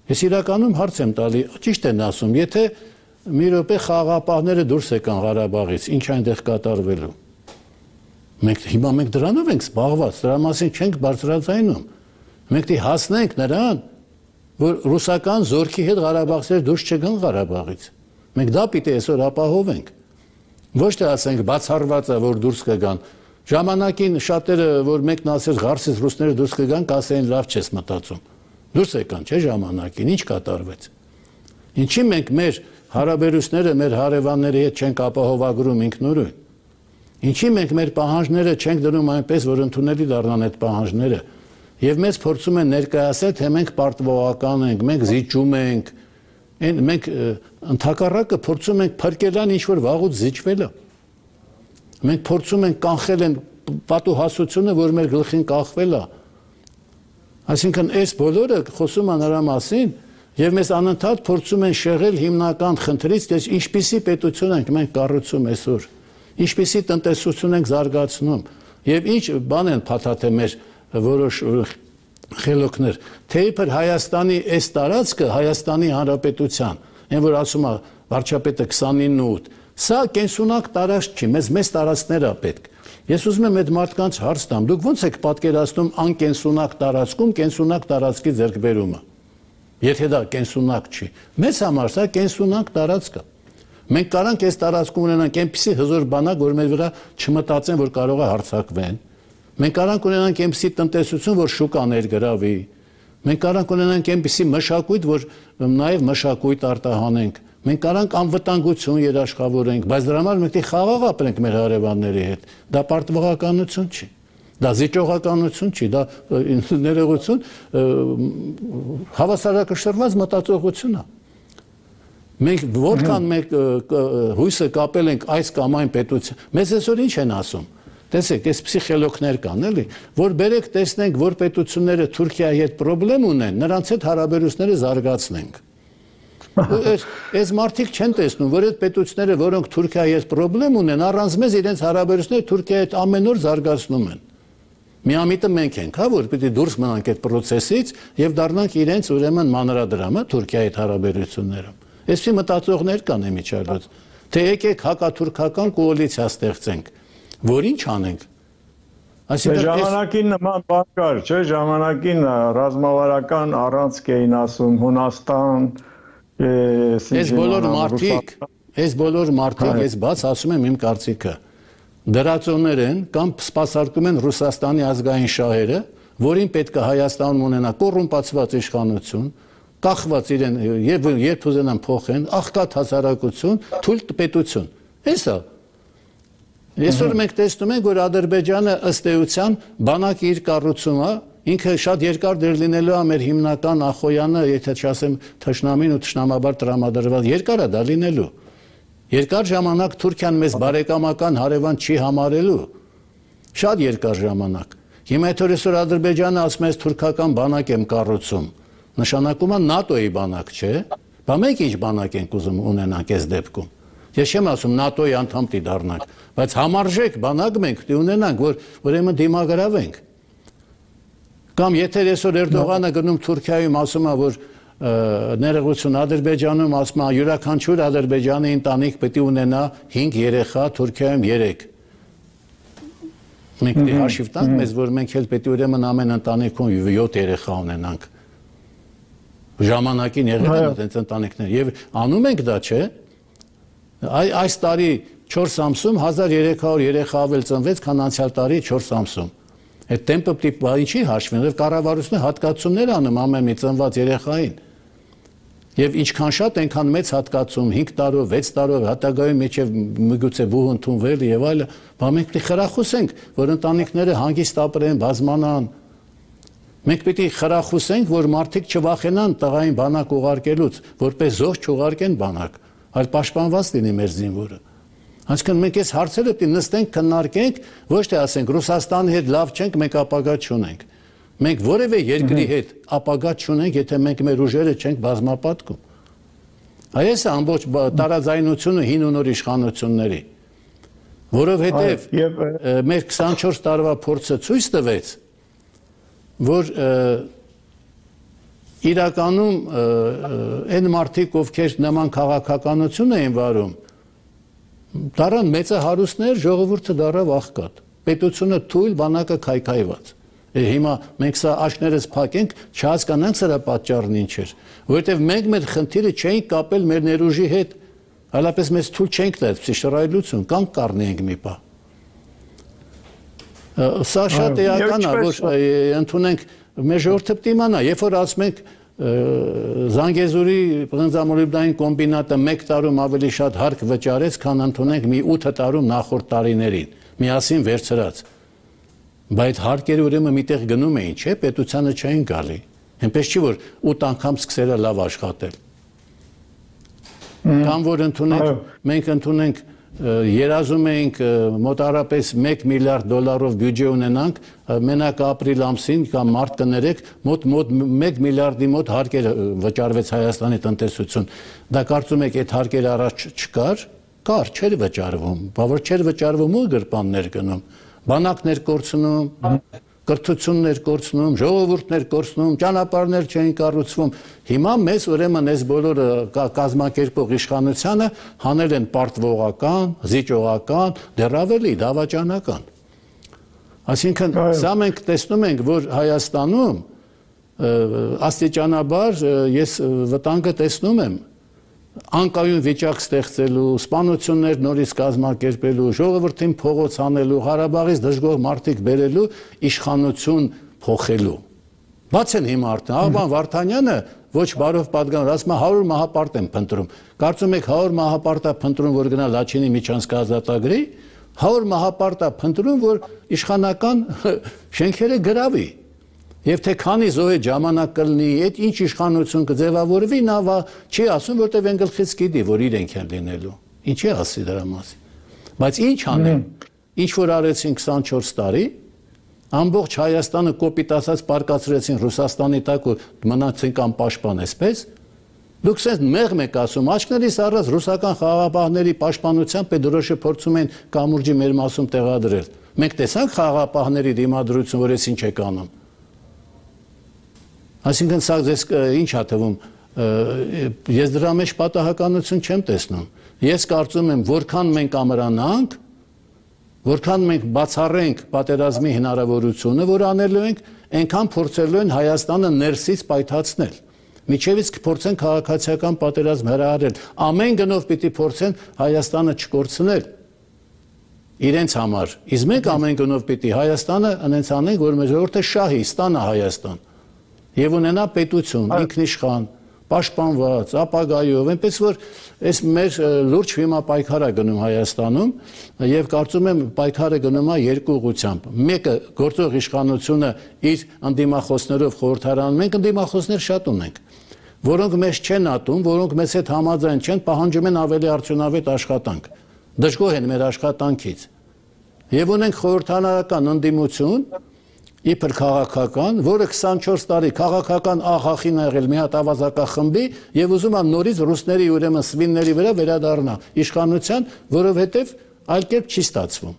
Ես իրականում հարց եմ տալի, ճիշտ են ասում, եթե մի րոպե խաղաղապահները դուրս եկան Ղարաբաղից, ինչ այնտեղ կատարվելու։ Հիմա մենք դրանով ենք զբաղված, դրա մասին չենք բարձրաձայնում։ Մենք դի հասնենք նրան, որ ռուսական զորքի հետ Ղարաբաղցիները դուրս չգան Ղարաբաղից։ Մենք դա պիտի այսօր ապահովենք։ Ոչ թե ասենք բացառված է, որ դուրս կգան։ Ժամանակին շատերը, որ մեկն ասեր Ղարսից ռուսները դուրս կգան, կասեին լավ չես մտածում։ Դուրս եկան, չէ՞ ժամանակին, ինչ կատարվեց։ Ինչի մենք մեր հարաբերությունները մեր հարևանների հետ չենք ապահովագրում ինքնուրույն։ Ինչի մենք մեր պահանջները չենք դնում այնպես, որ ընդունելի դառնան այդ պահանջները։ Եվ մեզ փորձում են ներկայացնել, թե մենք պարտվողական ենք, մենք զիջում ենք, մենք ընդհակառակը փորձում ենք փրկելան ինչ որ վաղուց զիջվելը։ Մենք փորձում ենք կանխել են պատուհասությունը, որ մեր գլխին կախվել է։ Այսինքն այս բոլորը խոսում են նրա մասին եւ մեզ անընդհատ փորձում են շեղել հիմնական խնդրից, թե ինչպիսի պետություն ենք մենք կառուցում այսօր, ինչպիսի տնտեսություն ենք զարգացնում եւ ինչ բան են փաթաթել մեր որոշ խելոքներ, թե իբր Հայաստանի այս տարածքը Հայաստանի Հանրապետության, այն որ ասում է վարչապետը 29-8, սա կենսունակ տարածք չի, մեզ տարածքներ է պետք։ Ես ուզում եմ այդ մարդկանց հարց տամ, դուք ո՞նց եք պատկերացնում անկենսունակ տարածքում կենսունակ տարածքի ձեռքբերումը։ Եթե դա կենսունակ չի, մեզ համար սա կենսունակ տարածք է։ Մենք կարանք այս տարածքում ունենանք այնպիսի հզոր բանակ, որ մեր վրա չմտածեն, որ կարող է հարձակվեն։ Մենք կարանք ունենանք այնպիսի տնտեսություն, որ շուկա ներգրավի։ Մենք կարանք ունենանք այնպիսի մշակույթ, որ նաև մշակույթ արտահանենք։ Մենք կարանք անվտանգություն երաշխավորենք, բայց դրա համար մենք խաղաղ ապրենք մեր հարևանների հետ։ Դա պարտվողականություն չի։ Դա զիջողականություն չի, դա ներողություն, հավասարակշռված մտածողություն է։ Մենք որքան մենք հույսը կապել ենք այս կամ այն պետության, մեզ այսօր ինչ են ասում։ Տեսեք, այսպիսի խելոքներ կան, էլի, որ բերեք տեսնենք, որ պետությունները Թուրքիայի հետ խնդրեմ ունեն, նրանց հետ հարաբերությունները զարգացնենք։ Այս մարդիկ չեն տեսնում, որ այդ պետությունները, որոնք Թուրքիայի հետ խնդրեմ ունեն, առանց մեզ իրենց հարաբերությունները Թուրքիայի հետ ամեն օր զարգացնում են։ Միամիտը մենք ենք, հա, որ պիտի դուրս մնանք այդ process-ից եւ դառնանք իրենց ուրեմն մանրադրամը Թուրքիայի հետ հարաբերություններում։ Այսպիսի մտածողներ կան իմիջիայլոց, թե եկեք հակաթուրքական կոալիցիա ստեղծենք, որ ինչ անենք։ Այսինքն ժամանակին նման բան կար, չէ՞, ժամանակին ռազմավարական առանցք էին ասում Հունաստան, այս բոլոր մարդիկ, ես բաց ասում եմ իմ կարծիքը, դրածոներ են կամ սպասարկում են Ռուսաստանի ազգային շահերը, որին պետք է Հայաստանում ունենա կոռումպացված իշխանություն, կախված իրեն երբ ուզենան փոխեն, աղքատ հասարակություն, թույլ պետություն։ Էսա։ Այսօր մենք տեսնում ենք, որ Ադրբեջանը ըստ էության բանակի իր կառուցումը ինքը շատ երկար դեր լինելու է մեր հիմնական Ախոյանը, եթե չասեմ թշնամին ու թշնամաբար տրամադրված, երկար է դա լինելու։ Երկար ժամանակ Թուրքիան մեզ բարեկամական հարևան չի համարելու։ Շատ երկար ժամանակ։ Հիմա այսօր Ադրբեջանը ասում է թուրքական բանակ եմ կառուցում։ Նշանակում է ՆԱՏՕ-ի բանակ, չէ՞։ Բա մենք ինչ բանակ ենք ուզում ունենանք այս դեպքում։ Ես չեմ ասում ՆԱՏՕ-ի անդամ պիտի դառնանք, բայց համարժեք բանակ մենք պիտի ունենանք, որ ուրեմն դիմագրավենք։ Կամ եթե այսօր Էրդողանը գնում Թուրքիայում ասում է, որ ներողություն Ադրբեջանում ասում է յուրաքանչյուր Ադրբեջանի ընտանիք պետք է ունենա 5 երեխա, Թուրքիայում 3։ Մենք դե հաշիվ տանք մեզ, որ մենք էլ պետք է ուրեմն ամեն ընտանիքում 7 երեխա ունենանք։ Ժամանակին եղել են այդպես ընտանիքներ եւ անում ենք դա, չէ՞։ Այս տարի 4 ամսում 1300 երեխա ավել ծնվեց, քան անցյալ տարի 4 ամսում։ Այդ տեմպը պիտի ինչի հաշվեն, եւ կառավարությունը հատկացումներ անում ամեն մի ծնված երեխային։ Եվ ինչքան շատ այնքան մեծ հատկացում 5 տարով, 6 տարով, հատագայում միջև միգուցե բուհ ընդունվել եւ այլը, բա մենք պիտի խրախուսենք, որ ընտանիքները հանգիստ ապրեն, բազմանան։ Մենք պիտի խրախուսենք, որ մարդիկ չվախենան տղային բանակ ուղարկելուց, որպես զոհ չուղարկեն բանակ, այլ պաշտպանված լինի մեր զինվորը։ Այսինքն մենք այս հարցերը պիտի նստենք, քննարկենք, ոչ թե ասենք Ռուսաստանի հետ լավ չենք, մենք ապագա չունենք։ Մենք որևէ երկրի հետ ապագա չունենք, եթե մենք մեր ուժերը չենք բազմապատկում։ Այս է ամբողջ տարաձայնությունը հին ու նոր իշխանությունների, որովհետև մեր 24 տարվա փորձը ցույց տվեց, որ իրականում այն մարդիկ, ովքեր նման քաղաքականություն էին վարում, դառան մեծահարուստներ, ժողովուրդը դառավ աղքատ, պետությունը թույլ, բանակը քայքայված։ Հիմա մենք սա աչքներս փակենք, չհասկանանք սրա պատճառն ինչ էր, որովհետև մենք մեր խնդիրը չէինք կապել մեր ներուժի հետ, այլապես մեզ թույլ չենք տա այդպիսի շռայլություն, կանգ կառնեինք մի պահ։ Սա շատ էական է, որ ընդունենք մեր ժողովուրդը պիտի իմանա, երբ որ ասում ենք Զանգեզուրի բնզամոլիբդային կոմբինատը 1 տարում ավելի շատ հարկ վճարեց, քան ընդունենք մի 8 տարում նախորդ տարիներին, միասին վերցրած։ Բայց հարկերը ուրեմն միտեղ գնում էին, չէ՞, պետությանը չէին գալի։ Այնպես չի, որ 8 անգամ սկսել է լավ աշխատել։ Կամ որ մենք ընդունենք երազում էինք մոտարապես $1 միլիարդ բյուջե ունենանք, մենակ ապրիլ ամսին կամ մարտ կներեք մոտ 1 միլիարդի մոտ հարկեր վճարվեց Հայաստանի տնտեսություն։ Դա կարծում եք այդ հարկերը առաջ չկար, կար, չէր վճարվում, բավար չէր վճարվում ու գրպաններ գնում, բանակներ կորցնում, կրթություններ կորցնում, ժողովուրդներ կորցնում, ճանապարհներ չէին կառուցվում։ Հիմա մեզ ուրեմն այս բոլորը կազմակերպող իշխանությանը հանել են պարտվողական, զիջողական, դեռ ավելի դավաճանական։ Այսինքն սա մենք տեսնում ենք, որ Հայաստանում աստիճանաբար ես վտանգը տեսնում եմ անկայուն վիճակ ստեղծելու, սպանություններ նորից կազմակերպելու, ժողովրդին փողոց անելու, Ղարաբաղից դժգոհ մարդիկ բերելու, իշխանություն փոխելու։ Բաց են հիմա արդեն, Աղբան Վարդանյանը ոչ բարով պատգամավոր, ասում է 100 մահապարտ եմ փնտրում։ Կարծում եք 100 մահապարտ է փնտրում, որ գնա Լաչինի միջանցք ազատագրի, 100 մահապարտ է փնտրում, որ իշխանական շենքերը գրավի։ Եվ թե քանի զոհե ժամանակ կլինի, այդ ինչ իշխանություն կձևավորվի, նա չի ասում, որտեղ են գլխից գիտի, որ իրենք են լինելու։ Ինչի ասի դրա մասին։ Բայց ինչ անեն, ինչ որ արեցին 24 տարի, ամբողջ Հայաստանը կոպիտ ասած պարկացրեցին Ռուսաստանի տակ ու մնացինք անպաշտպան, այսպես։ Դուք sense մեղմ եք ասում, աչքներիս առած ռուսական խաղաղապահների պաշտպանությամբ դրոշը փորձում են կամուրջի մեր մասում տեղադրել։ Մենք տեսանք խաղաղապահների դիմադրություն, որ էս ինչ եք անում։ Այսինքն սա ձեզ ինչ է թվում, ես դրա մեջ պատահականություն չեմ տեսնում։ Ես կարծում եմ, որքան մենք ամրանանք, որքան մենք բացառենք պատերազմի հնարավորությունը, որ անելու ենք, այնքան փորձելու են Հայաստանը ներսից պայթացնել։ Միջևից կփորձեն քաղաքացիական պատերազմ հրահարել։ Ամեն գնով պիտի փորձեն Հայաստանը չկորցնել իրենց համար։ Իսկ մենք ամեն գնով պիտի Հայաստանը անենց անենք, որ մեր ժողովուրդը շահի, ստանա Հայաստան։ Եվ ունենա պետություն, ինքնիշխան, պաշտպանված, ապագայով, այնպես որ այս մեր լուրջ հիմա պայքար է գնում Հայաստանում եւ կարծում եմ պայքարը գնում է երկու ուղղությամբ։ Մեկը գործող իշխանությունը իր անդիմախոսներով խորհրդարանում, մենք անդիմախոսներ շատ ունենք, որոնք մեզ չեն ատում, որոնք մեզ հետ համաձայն չեն, պահանջում են ավելի արդյունավետ աշխատանք, դժգոհ են մեր աշխատանքից։ Եվ ունենք խորհրդարանական ընդդիմություն, իբր քաղաքական, որը 24 տարի քաղաքական աղախին ա եղել մի հատ ավազակախմբի եւ ուզում է նորից ռուսների ուրեմն սվինների վրա վերադառնա իշխանության, որովհետեւ այլ կերպ չի ստացվում։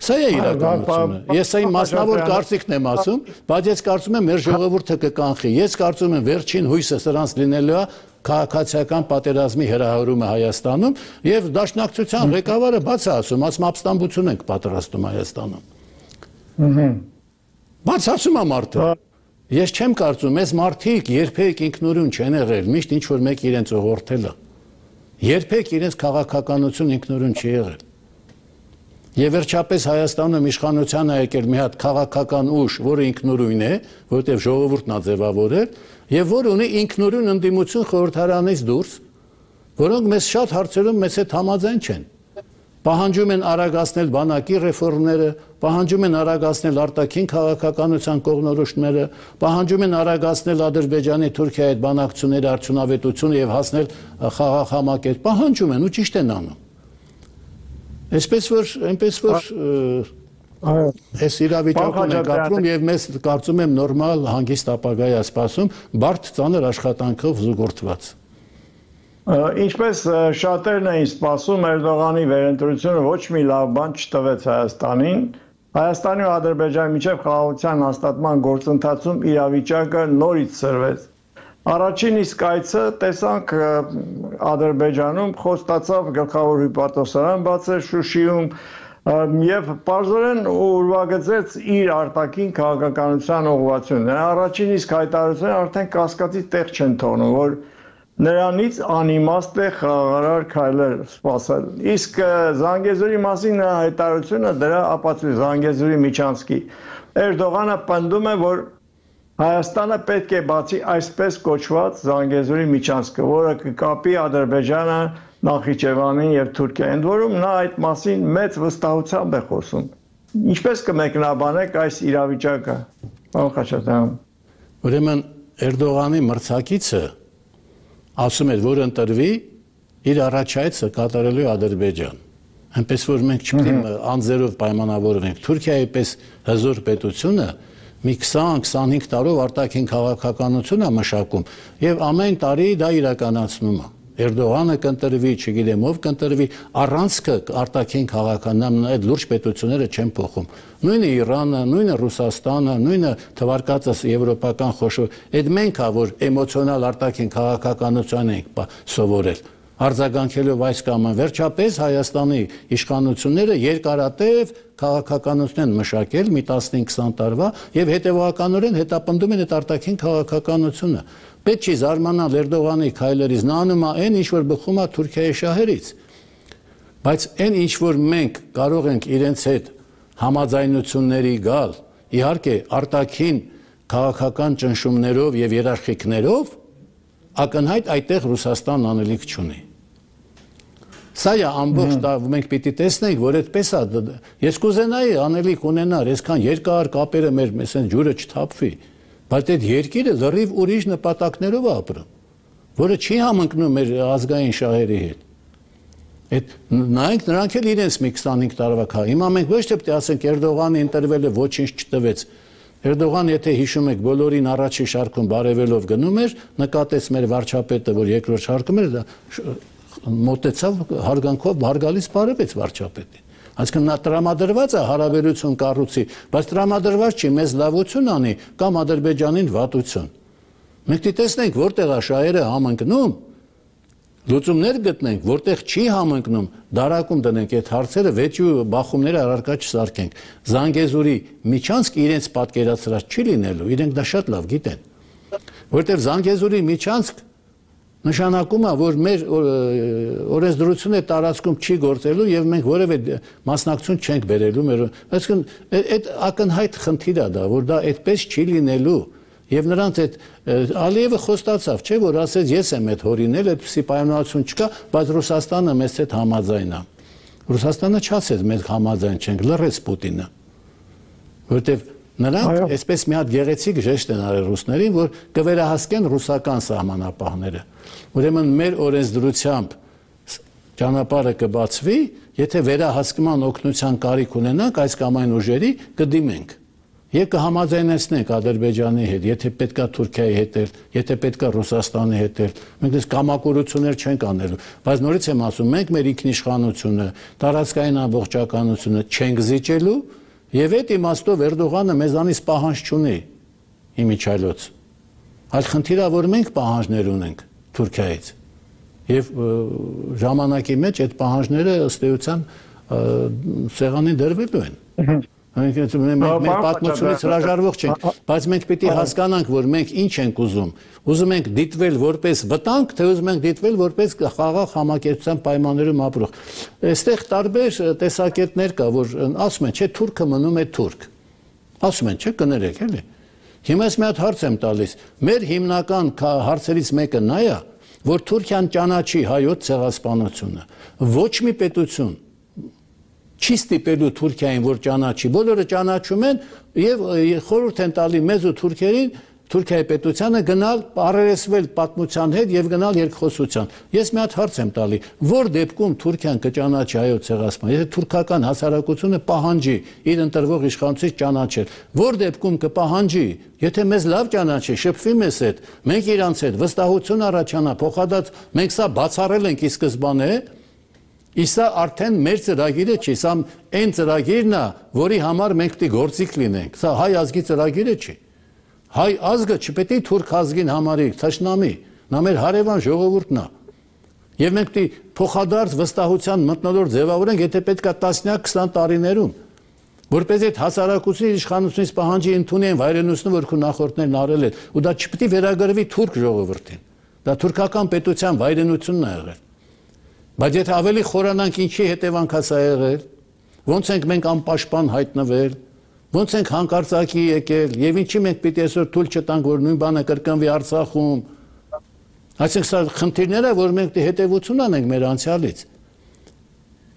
Սա է իրականությունը։ Ես այն մասնավոր կարծիքն եմ ասում, բայց ես կարծում եմ մեր ժողովուրդը կկանխի։ Ես կարծում եմ վերջին հույսը սրանց լինելու է քաղաքացիական պատերազմի հրահրումը Հայաստանում եւ դաշնակցության ղեկավարը բաց է ասում, ապստամբություն ենք պատրաստում Հայաստանում։ Բայց ասում է մարդը, ես չեմ կարծում, այս մարդիկ երբեք ինքնուրույն չեն եղել, միշտ ինչ որ մեկ իրենց ուղղորդել է։ Երբեք իրենց քաղաքականություն ինքնուրույն չի եղել։ Եվ վերջապես Հայաստանում իշխանության է եկել մի հատ քաղաքական ուժ, որը ինքնուրույն է, որովհետև ժողովուրդն է ձևավորել, եւ որ ունի ինքնուրույն ընդդիմություն խորհրդարանից դուրս, որոնք մեզ շատ հարցերում մեզ հետ համաձայն չեն։ Պահանջում են արագացնել բանակի ռեֆորմները, պահանջում են արագացնել արտաքին քաղաքականության կողմնորոշումները, պահանջում են արագացնել Ադրբեջանի Թուրքիայի հետ բանակցությունների արդյունավետությունը եւ հասնել խաղաղ համակարգ, պահանջում են ու ճիշտ են անում։ Այնպես որ այս իրավիճակում ենք ապրում եւ մեզ կարծում եմ նորմալ հանգիստ ապագա է սպասում, բարդ ծանր աշխատանքով զուգորդված։ Ինչպես շատերն էին սպասում, Էրդողանի վերընտրությունը ոչ մի լավ բան չտվեց Հայաստանին։ Հայաստանի ու Ադրբեջանի միջև խաղաղության հաստատման գործընթացում իրավիճակը նորից սրվեց։ Առաջին իսկ այցը տեսանք Ադրբեջանում խոստացավ գլխավոր հյուպատոսարան բացել Շուշիում եւ պարզորեն ուրվագծեց իր արտաքին քաղաքականության ուղղվածությունը։ Առաջին իսկ հայտարարությունը արդեն կասկածի տեղ չեն թողնում, որ նրանից անիմաստ է խաղաղարար քայլեր սպասել։ Իսկ Զանգեզուրի մասին հայտարարությունը դրա ապացույց Զանգեզուրի միջանցքի։ Էրդողանը պնդում է, որ Հայաստանը պետք է բացի այսպես կոչված Զանգեզուրի միջանցքը, որը կկապի Ադրբեջանը, Նախիջևանին եւ Թուրքիային, ընդ որում նա այդ մասին մեծ վստահությամբ է խոսում։ Ինչպես կմեկնաբանեք այս իրավիճակը, պարոն Խաչատրյան։ Ուրեմն Էրդողանի մրցակիցը ասում էր, որ ընտրվի իր առաջայցը կատարելու Ադրբեջան։ Այնպես որ մենք չպետք է անձերով պայմանավորվենք։ Թուրքիայի պես հզոր պետությունը մի 20-25 տարով արտաքին քաղաքականություն է մշակում եւ ամեն տարի դա իրականացնում է։ Էրդողանը կընտրվի, չգիտեմ ով կընտրվի, առանցքը արտաքին քաղաքականն այդ լուրջ պետությունները չեն փոխում։ Նույնը Իրանը, նույնը Ռուսաստանը, նույնը թվարկածս եվրոպական խոշոր, այդ մենք է որ էմոցիոնալ արտաքին քաղաքականություն ենք սովորել։ Արձագանքելով այս կամ այն վերջապես Հայաստանի իշխանությունները երկարատև քաղաքականություն են մշակել մի 15-20 տարվա եւ հետեւականորեն հետապնդում են այդ արտաքին քաղաքականությունը։ Պետք չի զարմանալ Էրդողանի քայլերից, նա անում է այն, ինչ որ բխում է Թուրքիայի շահերից։ Բայց այն, ինչ որ մենք կարող ենք իրենց հետ համաձայնությունների գալ, իհարկե արտաքին քաղաքական ճնշումներով եւ երաշխիքներով, ակնհայտ այդտեղ Ռուսաստան անելիք չունի։ Սա է ամբողջ մենք պիտի տեսնենք, որ այդպես է։ Ես կուզենայի անելիք ունենար, այսքան երկար կապերը մեր այսեն ջուրը չթափվի, բայց այդ երկիրը լրիվ ուրիշ նպատակներով է ապրում, որը չի համընկնում մեր ազգային շահերի հետ։ Այդ նայենք նրանք էլ իրենց մի 25 տարվա կա։ Հիմա մենք ոչ թե պետք է ասենք Էրդողանը ընտրվել է, ոչինչ չտվեց։ Էրդողան, եթե հիշում եք, բոլորին առաջի շարքում բարևելով գնում էր, նկատեց մեր վարչապետը, որ երկրորդ շարքում էր, դա մոտեցավ հարգանքով հարգալից բարևեց վարչապետին։ Այսինքն նա տրամադրված է հարաբերություն կառուցի, բայց տրամադրված չի մեզ լավություն անի կամ Ադրբեջանին վատություն։ Մենք տեսնենք որտեղ է շահերը համընկնում, լուծումներ գտնենք, որտեղ չի համընկնում, դարակում դնենք այդ հարցերը, վեճու բախումները առարկա չսարքենք։ Զանգեզուրի միջանցք իրենց պատկերացրած չի լինելու, իրենք դա շատ լավ գիտեն։ Որտեղ Զանգեզուրի միջանցք նշանակում է, որ մեր օրենսդրությունը տարածքում չի գործելու եւ մենք որևէ մասնակցություն չենք բերելու մեր, այսինքն այդ ակնհայտ խնդիր է դա, որ դա այդպես չի լինելու եւ նրանց այդ Ալիևը խոստացավ, չէ՞ որ ասեց ես եմ այդ հորինել, այդպիսի պայմանավորություն չկա, բայց Ռուսաստանը մեզ հետ համաձայն է։ Ռուսաստանը չասեց մենք համաձայն չենք, լռեց Պուտինը։ Որտեւ նրանք այսպես մի հատ գեղեցիկ ժեշտ են արել ռուսներին, որ կվերահսկեն ռուսական սահմանապահները։ Ուրեմն մեր օրենսդրությամբ ճանապարհը կբացվի, եթե վերահսկման օգնության կարիք ունենանք այս կամ այն ուժերի կդիմենք։ Եվ կհամաձայնեցնենք Ադրբեջանի հետ, եթե պետքա Թուրքիայի հետ, եթե պետքա Ռուսաստանի հետ, մենք դες կամակորություններ չենք անելու, բայց նորից եմ ասում, մենք մեր ինքնիշխանությունը, տարածքային ամբողջականությունը չենք զիջելու, եւ այդ իմաստով Էրդողանը մեզանից պահանջ չունի իմիջայլոց։ Այլ խնդիրը որ մենք պահանջներ ունենք Թուրքիայից։ Եվ ժամանակի մեջ այդ պահանջները ըստ էության սեղանին դրվելու են։ Մենք պատմությունից հրաժարվող չենք, բայց մենք պիտի հասկանանք, որ մենք ինչ ենք ուզում։ Ուզում ենք դիտվել որպես վտանգ, թե ուզում ենք դիտվել որպես խաղաղ համակերպության պայմաններում ապրող։ Այստեղ տարբեր տեսակետներ կա, որ ասում են, չէ, թուրքը մնում է թուրք։ Ասում են, չէ, կներեք, էլի։ Հիմա ես մի հատ հարց եմ տալիս։ Մեր հիմնական հարցերից մեկը նա է, որ Թուրքիան ճանաչի հայոց ցեղասպանությունը։ Ոչ մի պետություն չի ստիպելու Թուրքիային, որ ճանաչի, բոլորը ճանաչում են եւ խորհուրդ են տալի մեզ ու թուրքերին, Թուրքիայի պետությանը գնալ առերեսվել պատմության հետ եւ գնալ երկխոսության։ Ես մի հատ հարց եմ տալի, որ դեպքում Թուրքիան կճանաչի հայոց ցեղասպան, եթե թուրքական հասարակությունը պահանջի իր ընտրվող իշխանությունից ճանաչել, որ դեպքում կպահանջի, եթե մեզ լավ ճանաչի, շփվի մեզ հետ, մենք իրանց հետ վստահություն առաջանա, փոխադարձ մենք սա բացառել ենք ի սկզբանե, Իսա արդեն մեր ծրագիրը չի, սա այն ծրագիրն է, որի համար մենք պետք է գործիք լինենք։ Սա հայ ազգի ծրագիրը չի։ Հայ ազգը չպետք է թուրք ազգին համարի, թշնամի, նա մեր հարևան ժողովուրդն է։ Եվ մենք պետք է փոխադարձ վստահության մթնոլորտ ձևավորենք, եթե պետք է 10-20 տարիներում, որպես այդ հասարակությունների իշխանությունից պահանջի ընդունեն վայրենությունը, որ քո նախորդներն արել են, ու դա չպետք է վերագրվի թուրք ժողովրդին։ Դա թուրքական պետության վայրենությունն է եղել։ Բայց եթե ավելի խորանանք ինչի հետևանք է սա եղել, ոնց ենք մենք անպաշտպան հայտնվել, ոնց ենք հանկարծակի եկել, եւ ինչի մենք պիտի այսօր թույլ չտանք, որ նույն բանը կրկնվի Արցախում։ Այսինքն սա խնդիրներ է, որ մենք հետևություն անենք մեր անցյալից։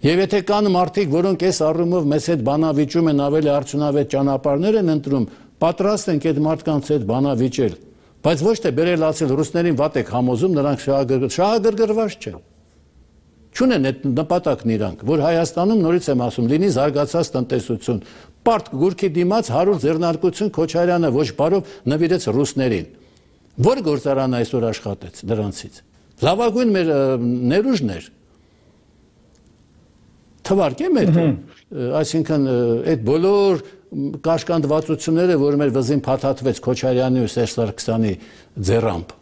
Եվ եթե կան մարդիկ, որոնք այս առումով մեզ հետ բանավիճում են, ավելի արդյունավետ ճանապարհներ են ընտրում, պատրաստ ենք այդ մարդկանց հետ բանավիճել, բայց ոչ թե բերել ասել ռուսներին վատ եք համոզում, նրանք շահագրգռված չեն։ Չունեն այդ նպատակն իրանք, որ Հայաստանում նորից եմ ասում, լինի զարգացած տնտեսություն, պարտ գուրքի դիմաց 100 ձեռնարկություն Քոչարյանը ոչ բարով նվիրեց ռուսներին։ Որ գործարանը այսօր աշխատեց դրանցից։ Լավագույն մեր ներուժն էր։ Թվարկեմ այդ, այսինքն այդ բոլոր կաշկանդվածությունները, որ մեր վզին փաթաթվեց Քոչարյանի ու Սերժ Սարգսյանի ձեռամբ։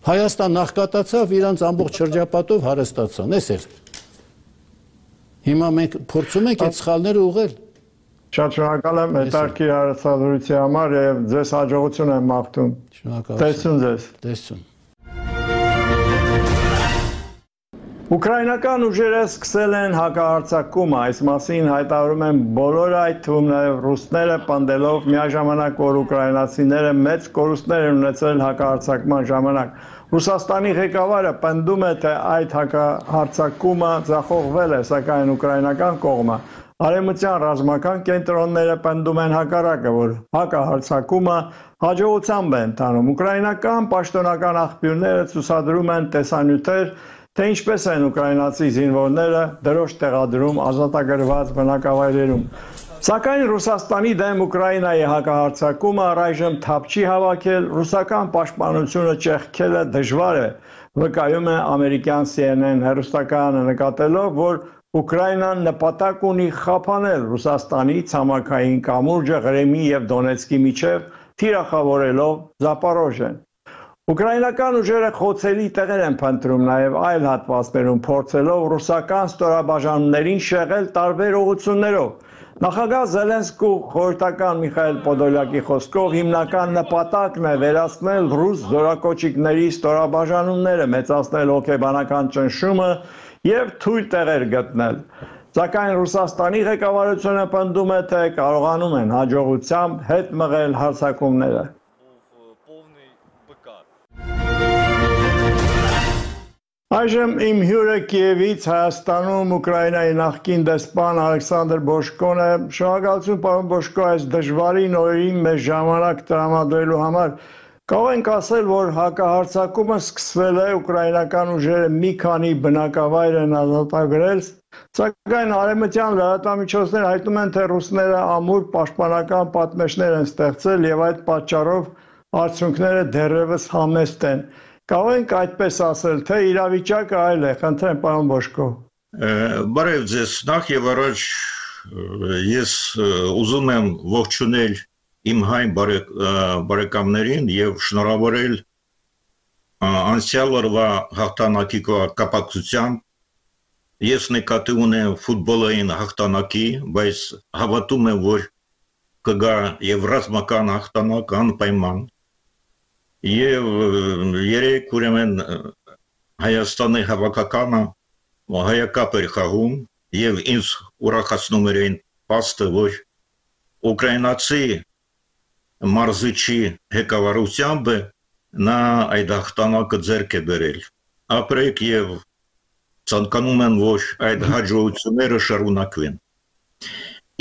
Հայաստան նախկատացավ, իրանց ամբողջ շրջապատով հարստացան, էս էր։ Հիմա մենք փորձում ենք այդ սխալները ուղղել։ Շատ շնորհակալ եմ հետաքրքիր հարցադրության համար եւ ձեզ հաջողություն եմ մաղթում։ Տեսություն ձեզ։ Տեսություն։ Ուկրաինական ուժերը սկսել են հակահարձակումը, այս մասին հայտարարում են բոլորը, այդ թվում նաև ռուսները, պնդելով միաժամանակ, որ ուկրաինացիները մեծ կորուստներ են ունեցել հակահարձակման ժամանակ։ Ռուսաստանի ղեկավարը պնդում է, թե այդ հակահարձակումը ձախողվել է, սակայն ուկրաինական կողմը արևմտյան ռազմական կենտրոնները պնդում են հակառակը, որ հակահարձակումը հաջողությամբ է ընթանում։ Ուկրաինական պաշտոնական աղբյուրները ցուցադրում են տեսանյութեր, թե ինչպես են ուկրաինացի զինվորները դրոշ տեղադրում ազատագրված բնակավայրերում։ Սակայն Ռուսաստանի դեմ Ուկրաինայի հակահարձակումը առայժմ թափ չի հավաքել, ռուսական պաշտպանությունը ճեղքել է դժվար է, վկայում է ամերիկյան CNN հեռուստակայանը, նկատելով, որ Ուկրաինան նպատակ ունի խափանել Ռուսաստանի ցամաքային կամուրջը Ղրիմի եւ Դոնեցկի միջև, թիրախավորելով Զապորոժեն։ Ուկրաինական ուժերը խոցելի տեղեր են փնտրում նաև այլ հատվածներում, փորձելով ռուսական ստորաբաժանումներին շեղել տարբեր ուղղություններով։ Նախագահ Զելենսկու խորհրդական Միխայել Պոդոլյակի խոսքով հիմնական նպատակն է վերացնել ռուս զորակոչիկների ստորաբաժանումները, մեծացնել հոգեբանական ճնշումը եւ թույլ տեղեր գտնել։ Սակայն Ռուսաստանի ղեկավարությունը պնդում է, թե կարողանում են հաջողությամբ հետ մղել հարձակումները։ Այժմ իմ հյուրը Կիևից Հայաստանում Ուկրաինայի նախկին դեսպան Ալեքսանդր Բոշկոն է։ Շնորհակալություն, պարոն Բոշկո, այս դժվարին օրերին մեզ ժամանակ տրամադրելու համար։ Կարող ենք ասել, որ հակահարձակումը սկսվել է, ուկրաինական ուժերը մի քանի բնակավայր են ազատագրել, սակայն արևմտյան լրատվամիջոցները հայտնում են, թե ռուսները ամուր պաշտպանական պատնեշներ են ստեղծել եւ այդ պատճառով արդյունքները դեռևս համեստ են։ Կարող ենք այդպես ասել, թե իրավիճակը այլ է, խնդրեմ, պարոն Բոշկո։ Բարև ձեզ, նախ եւ առաջ ես ուզում եմ ողջունել իմ հայ բարեկամներին եւ շնորհավորել անցյալ օրվա հաղթանակի կապակցությամբ։ Ես նկատի ունեմ ֆուտբոլային հաղթանակի, բայց հավատում եմ, որ կգա եւ ռազմական հաղթանակ անպայման։ Եվ երեք ուրեմն Հայաստանի հավաքականը հայակապ էր խաղում եւ ինձ ուրախացնում էր այն փաստը, որ ուկրաինացի մարզիչի ղեկավարությամբ նա այդ հաղթանակը ձեռք է բերել։ Ապրեք եւ ցանկանում եմ, որ այդ հաջողությունները շարունակվեն։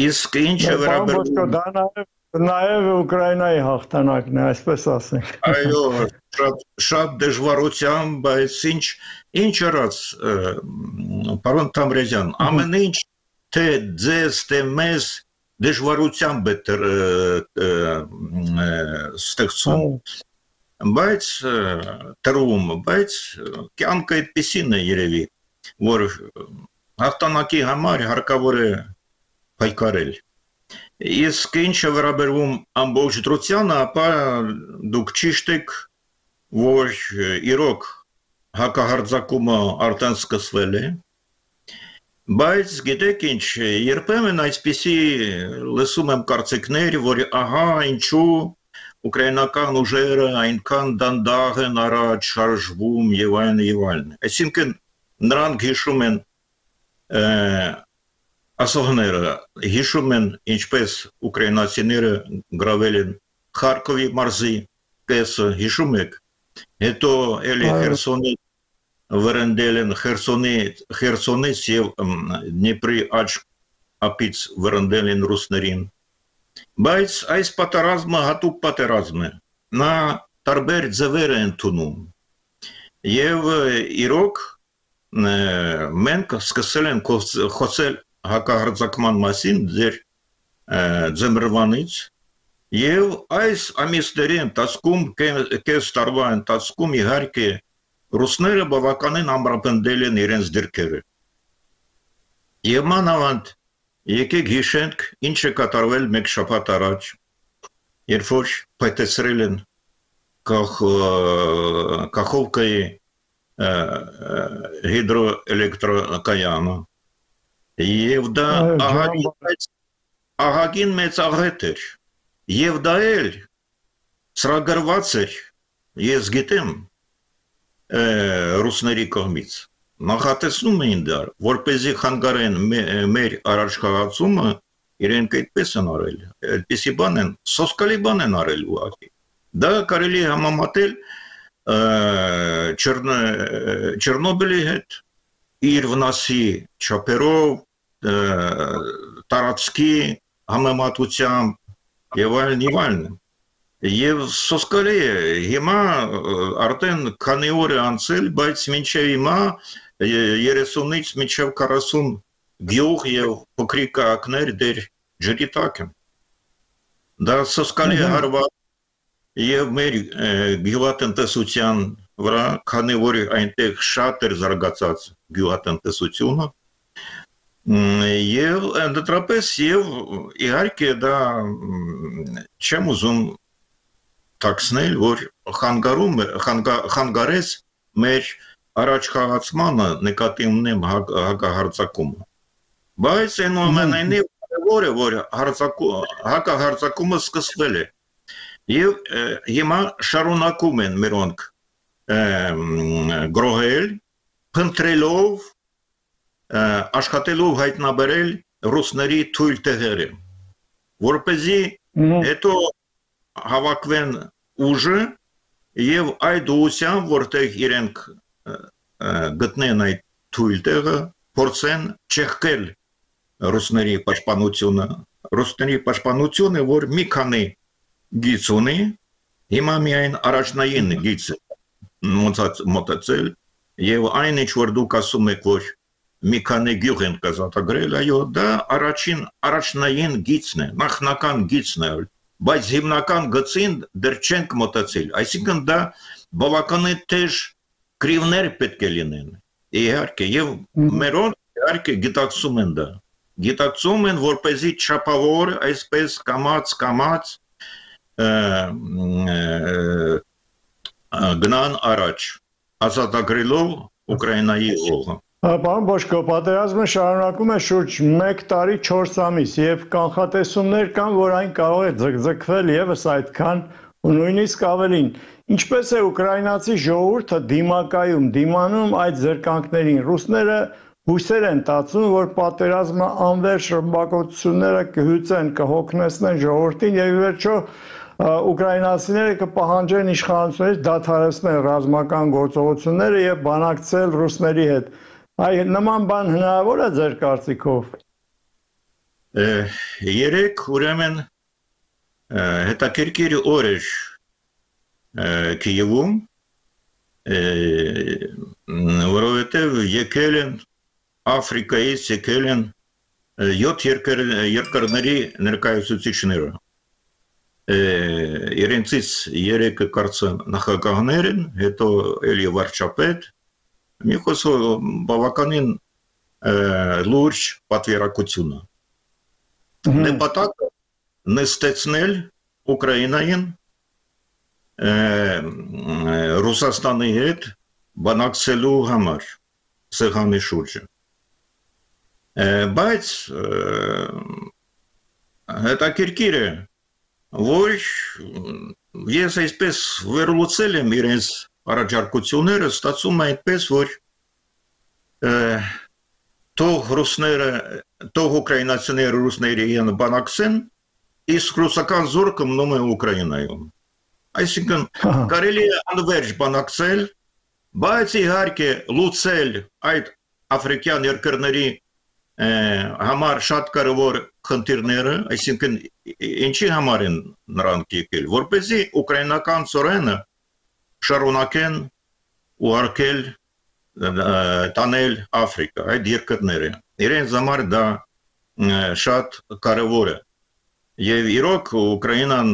Իսկ ինչը վերաբերում Նաև Ուկրաինայի հաղթանակն է, այսպես ասենք։ Այո, շատ դժվարությամբ, բայց ինչ արած, պարոն Թամրազյան, ամեն ինչ թե ձեզ, թե մեզ դժվարությամբ է ստեղծում, բայց տրվում, բայց կյանքը այդպիսին է երևի, որ հաղթանակի համար հարկավոր է պայքարել։ Իսկ ինչը վերաբերում ամբողջ դրությանը, ապա դուք ճիշտ եք, որ իրոք հակահարձակումը արդեն սկսվել է, բայց գիտեք ինչ, երբեմն այսպիսի լսում եմ կարծիքներ, որ ահա ինչու ուկրաինական ուժերը այնքան դանդաղ են առաջ շարժվում եւ այլն։ Այսինքն նրանք հիշում են ասողները հիշում են ինչպես ուկրաինացիները գրավել են Խարկովի մարզի կեսը, հիշում եք, հետո էլի Խերսոնի վրընդել են Խերսոնից եւ Դնիպրի աջ ափից վրընդել են ռուսներին, բայց այս պատերազմը հատուկ պատերազմ է, նա տարբեր ձևեր է ընդունում եւ իրոք մենք սկսել ենք խոսել հակահարձակման մասին ձեր ձմռվանից եւ այս ամիսների ընթացքում կես տարվա ընթացքում իհարկե ռուսները բավականին ամրապնդել են իրենց դիրքերը եւ մանավանդ եկեք հիշենք ինչ է կատարվել մեկ շաբաթ առաջ երբ որ փայտեցրել են Կախովկայի հիդրոէլեկտրակայանը եւ դա ահագին մեծ աղետ էր եւ դա էլ ծրագրված էր ես գիտեմ ռուսների կողմից նախատեսնում էին դա որպեսզի խանգարեն մեր առաջխաղացումը իրենք այդպես են արել այդպիսի բան են սոսկալի բան են արել ուղղակի դա կարելի է համեմատել Չեռնոբիլի հետ իր վնասի չափերով տարածքի համեմատությամբ եւ այլն եւ սոսկալի է հիմա արդեն քանի օր է անցել բայց մինչեւ հիմա 30-ից մինչեւ 40 գյուղ եւ փոքրիկ քաղաքներ դեր ջրի տակ են դա սոսկալի է հարված եւ մեր գյուղատնտեսության վրա քանի որ այնտեղ շատ էր զարգացած գյուղատնտեսությունը եւ ընդհանրապես եւ իհարկե դա չեմ ուզում տաքսնել որ խանգարես մեր առաջխաղացմանը նկատի ունեմ հակահարձակումը բայց այնուամենայնիվ կարևոր է որ հակահարձակումը սկսվել է եւ հիմա շարունակում են մերոնք գրոհել փնտրելով աշխատելով հայտնաբերել ռուսների թույլ տեղերը որպեսզի հետո հավաքվեն ուժը եւ այդ ուղղությամբ որտեղ իրենք գտնեն այդ թույլ տեղը փորձեն չեղկել ռուսների պաշտպանությունը որ մի քանի գիծ ունի հիմա միայն առաջնային գիծ մոտեցել եւ այն ինչ որ դուք ասում եք որ մի քանի գյուղ են կազմակերպել այո դա առաջնային գիծն է նախնական գիծն է բայց հիմնական գծին դեռ չենք մոտեցել այսինքն դա բավականին թեժ կրիվներ պետք է լինեն իհարկե եւ մերոնք իհարկե գիտակցում են դա գիտակցում են որպեսզի չափավոր այսպես կամած գնան առաջ ազատագրելով Ուկրաինայի օղը Պարոն Բոշկո, պատերազմը շարունակում է շուրջ 1 տարի 4 ամիս եւ կանխատեսումներ կան, որ այն կարող է ձգձգվել եւս այդքան ու նույնիսկ ավելին։ Ինչպես է ուկրաինացի ժողովուրդը դիմանում այդ զրկանքներին։ Ռուսները հույսեր են տածում, որ պատերազմը անվերջ ռմբակոծությունները կհյուծեն, կհոգնեցնեն ժողովրդին եւ ի վերջո ուկրաինացիները կպահանջեն իշխանություններից դադարեցնել ռազմական գործողությունները եւ բանակցել ռուսների հետ։ Այ նման բան հնարավոր է ձեր կարծիքով։ Երեք ուրեմն հետաքրքիր օր էր Կիևում, որովհետև եկել են Աֆրիկայից եկել են 7 երկրների ներկայացուցիչները։ Իրենցից 3-ը կարծեմ նախագահներ են, հետո էլի վարչապետ, մի խոսքով բավականին լուրջ պատվիրակություն է։ Նպատակը նստեցնել Ուկրաինային Ռուսաստանի հետ բանակցելու համար սեղանի շուրջը։ Բայց հետաքրքիր է որ ես այսպես վերլուծել եմ իրենց առաջարկությունները, ստացվում է այդպես, որ թող ուկրաինացիները ռուսների են բանակցեն, իսկ ռուսական զորքը մնում է Ուկրաինայում։ Այսինքն կարելի է անվերջ բանակցել, բայց իհարկե լուծել այդ աֆրիկյան երկրների համար շատ կարևոր խնդիրները, այսինքն ինչի համար են նրանք եկել, որպեսզի ուկրաինական ծորենը շարունակեն ուղարկել տանել Աֆրիկա, այդ երկրները։ Իրենց համար դա շատ կարևոր է։ Եվ իրոք Ուկրաինան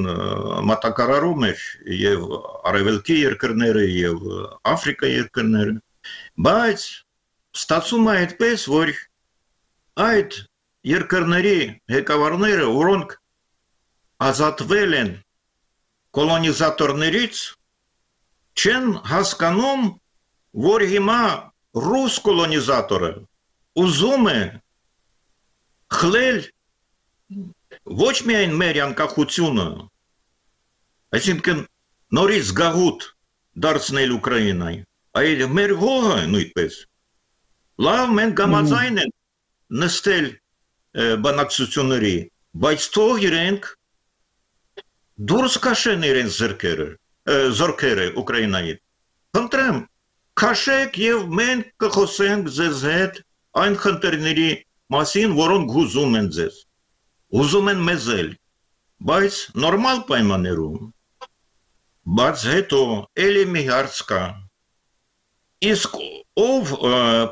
մատակարարում էր եւ արևելքի երկրները եւ Աֆրիկա երկրները, բայց ստացվում է այդպես, որ այդ երկրների ղեկավարները, որոնք ազատվել են կոլոնիզատորներից, չեն հասկանում, որ հիմա ռուս կոլոնիզատորը ուզում է խլել ոչ միայն մեր անկախությունը, այսինքն նորից գաղութ դարձնել Ուկրաինայի, այլ մեր հողը նույնպես։ Լավ, մենք համաձայն ենք նստել բանակցությունների, բայց թող իրենք դուրս քաշեն իրենց զորքերը Ուկրաինայից։ Խնդրեմ, քաշեք եւ մենք կխոսենք ձեզ հետ այն խնդիրների մասին, որոնք ուզում են ձեզ։ Ուզում են մեզ էլ, բայց նորմալ պայմաններում։ Բայց հետո էլի մի հարց կա։ Իսկ ով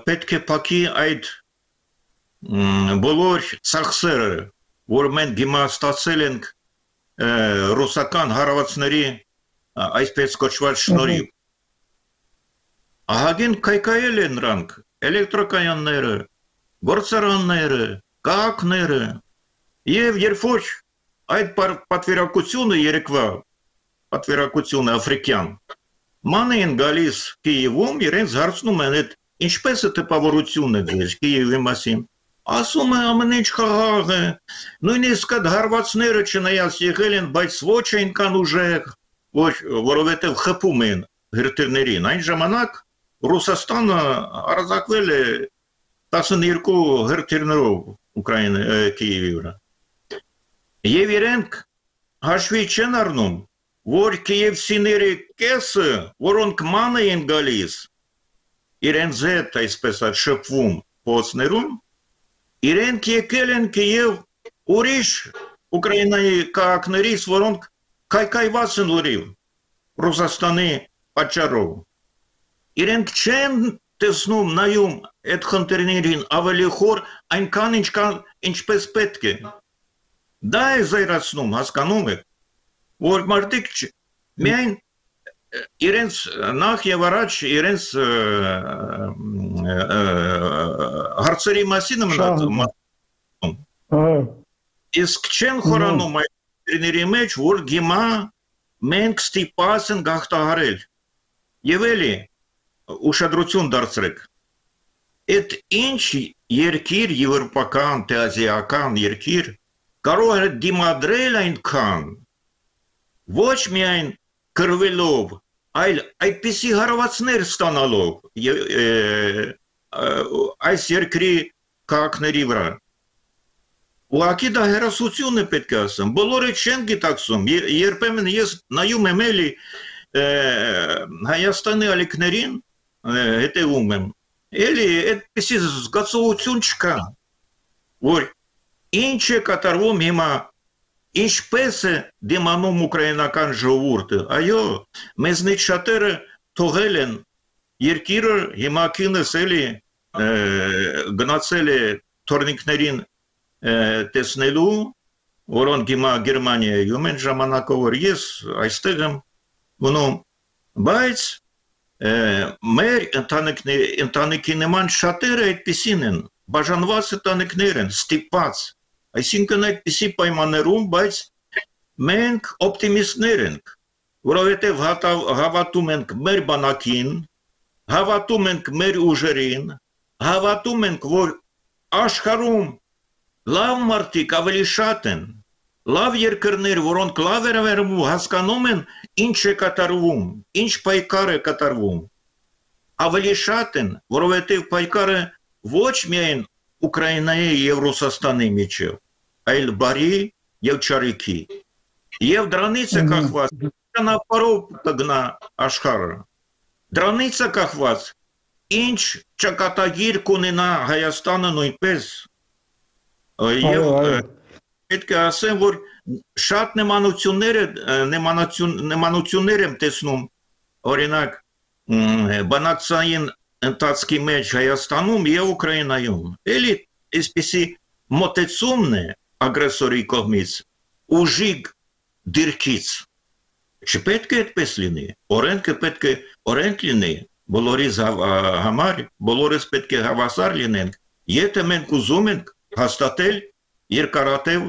պետք է փակի այդ բոլոր ծախսերը, որ մենք հիմա ստացել ենք ռուսական հարավացների այսպես կոչված շնորհիվ։ Ահագին կայքայել են նրանք էլեկտրոկայանները, գործարանները, քաղաքները, եւ երբ որ այդ պատվիրակությունը երեկվա պատվիրակությունը աֆրիկյան ման են գալիս Կիևում, իրենց հարցնում են այդ ինչպես է տպավորությունը ձեզ Կիևի մասին։ Ասում է ամեն ինչ խաղաղ է, նույնիսկ այդ հարվածները չնայած եղել են, բայց ոչ այնքան ուժեղ, որովհետև խփում են հրթիռներին։ Այն ժամանակ Ռուսաստանը արձակվել է 12 հրթիռներով Կիևի վրա։ Եվ իրենք հաշվի չեն առնում, որ կիևցիների կեսը, որոնք ման են գալիս, իրենց հետ այսպես շփվում փոսներում, իրենք եկել են Կիև ուրիշ Ուկրաինայի քաղաքներից, որոնք կայքայված են լրիվ Ռուսաստանի պատճառով։ Իրենք չեն տեսնում, նայում այդ խնդիրներին ավելի խոր այնքան ինչպես պետք է։ Դա է զայրացնում, հասկանում եք, որ մարդիկ միայն իրենց նախ եւ առաջ իրենց հարցերի մասին մտածում։ Իսկ չեն խորանում այդ խնդիրների մեջ, որ հիմա մենք ստիպված ենք գաղթահարել։ Եվ էլի ուշադրություն դարձրեք։ Այդ ինչ երկիր, եվրոպական, թե ազիական երկիր կարող է դիմադրել այնքան, ոչ միայն կրվելով, այլ այդպիսի հարվածներ ստանալով այս երկրի քաղաքների վրա։ Ուղղակի դա հերոսություն է պետք է ասեմ, բոլորը չեն գիտակցում, երբեմն ես նայում եմ էլի Հայաստանի ալիքներին, հետևում եմ, էլի այդպիսի զգացողություն չկա, որ ինչ է կատարվում հիմա, ինչպես է դիմանում ուկրաինական ժողովուրդը, այո, մեզնից շատերը թողել են երկիրը, հիմա կինս էլի գնացել է թորնիկներին տեսնելու, որոնք հիմա Գերմանիայում են ժամանակով, որ ես այստեղ եմ գնում, բայց մեր ընտանիքի նման շատերը այդպիսին են, բաժանված ընտանիքներ են, ստիպված, այսինքն այդպիսի պայմաններում, բայց մենք օպտիմիստներ ենք, որովհետև հավատում ենք մեր բանակին, հավատում ենք մեր ուժերին, հավատում ենք, որ աշխարհում լավ մարդիկ ավելի շատ են, լավ երկրներ, որոնք լավ հասկանում են ինչ է կատարվում, ինչ պայքար է կատարվում, ավելի շատ են, որովհետև պայքարը ոչ միայն Ուկրաինայի եւ Ռուսաստանի միջև, այլ բարի եւ չարիքի, եւ դրանից է կախված ճանապարհով կգնա աշխարհը, դրանից է կախված ինչ ճակատագիր կունենա Հայաստանը նույնպես, եւ պետք է ասեմ, որ շատ նեմանություններ եմ տեսնում, օրինակ, բանակցային ընթացքի մեջ Հայաստանում եւ Ուկրաինայում էլի այսպեսի մոտեցումն է ագրեսորի կողմից ուժիկ դիրքից չպետք է այդպես լինի օրենքը պետք է օրենք լինի բոլորիս համար բոլորս պետք է հավասար լինենք եթե մենք ուզում ենք հաստատել երկարատև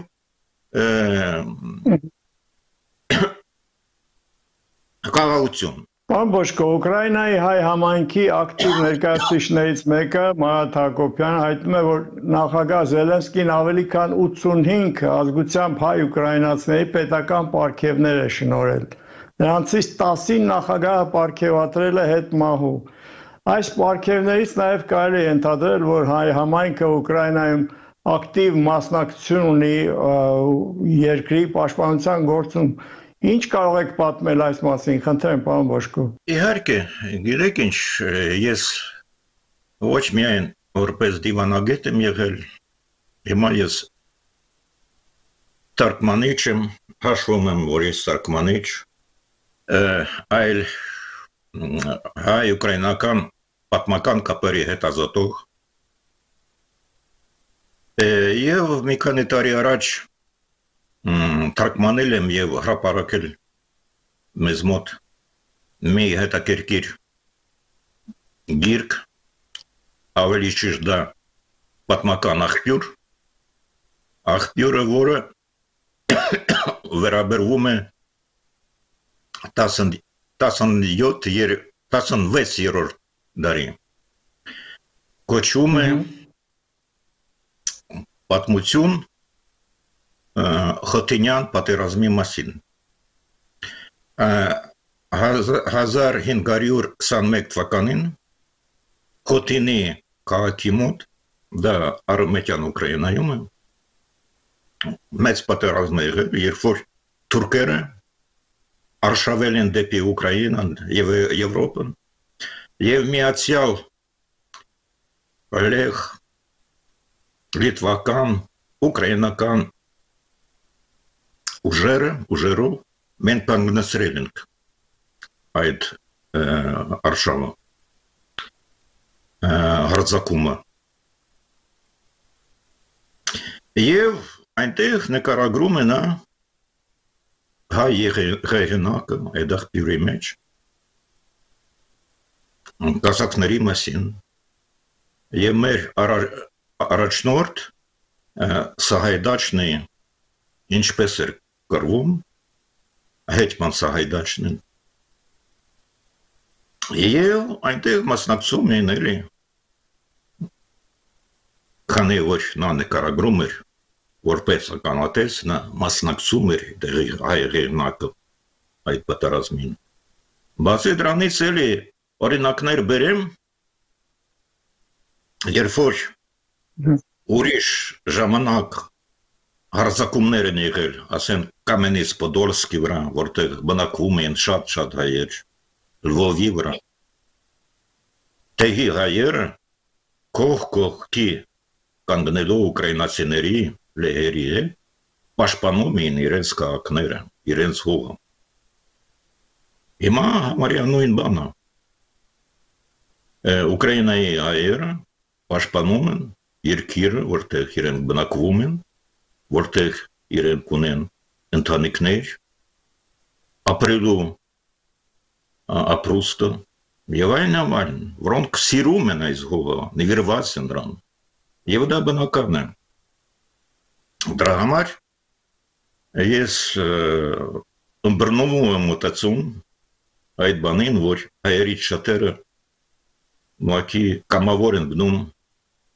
կառավարություն Պարոն Բոշկո, Ուկրաինայի հայ համայնքի ակտիվ ներկայացուցիչներից մեկը Մարատ Հակոբյանը հայտնում է, որ նախագահ Զելենսկին ավելի քան 85 ազգությամբ հայ ուկրաինացիների պետական պարգևներ է շնորհել։ Նրանցից 10-ին նախագահը պարգևատրել է հետմահու։ Այս պարգևներից նաև կարելի է ենթադրել, որ հայ համայնքը Ուկրաինայում ակտիվ մասնակցություն ունի երկրի պաշտպանության գործում։ Ինչ կարող եք պատմել այս մասին, խնդրեմ, պարոն Բոշկո։ Իհարկե, գիտեք ինչ, ես ոչ միայն որպես դիվանագետ եմ եղել, հիմա ես թարգմանիչ եմ, հաշվում եմ, որ ես թարգմանիչ, այլ հայ-ուկրաինական պատմական կապերի հետազոտող եւ մի քանի տարի առաջ թարգմանել եմ եւ հրապարակել մեզ մոտ մի հետաքրքիր գիրք ավելի ճիշտ դա պատմական աղբյուրը որը վերաբերվում է 16-րդ դարի կոչվում է պատմություն Խոթինյան պատերազմի մասին 1521 թվականին Խոթինի քաղաքի մոտ դա արևմտյան Ուկրաինայում է մեծ պատերազմ է եղել երբ որ թուրքերը արշավել են դեպի Ուկրաինան եւ Եվրոպան եւ միացյալ լեհ լիտվական ուկրաինական ուժերով մենք կանգնեցրել ենք այդ արշավը հարձակումը եւ այնտեղ նկարագրում է նա հայ եղանակը այդ աղբյուրի մեջ կասակների մասին եւ մեր առաջնորդ Սահայդաչնի ինչպես էր կրվում հետման Սահայդաչնին եւ այնտեղ մասնակցում էին էլի քանի որ նա նկարագրում էր որպես ականատես նա մասնակցում էր դեղի հայ եղանակը այդ պատերազմին բացի դրանից էլի օրինակներ բերեմ երբ որ ուրիշ ժամանակ հարձակումներ են եղել, ասեն Կամենից-Պոդոլսկի վրա, որտեղ բնակվում են շատ հայեր, Լվովի վրա։ Տեղի հայերը կողքի կանգնելով ուկրաինացիների լեհերի պաշտպանում էին իրենց քաղաքները, իրենց հողը։ Հիմա համարյա նույն բանը։ Ուկրաինայի հայերը պաշտպանում են երկիրը, որտեղ իրենք բնակվում են, որտեղ իրենք ունեն ընտանիքներ, ապրելու ապրուստը եւ այլն, որոնք սիրում են այս հողը, նվիրված են դրան։ Եվ դա բնական է։ Դրա համար ես ըմբռնվում եմ մտածում այդ բանին, որ հայերից շատերը մակի կամավոր են գնում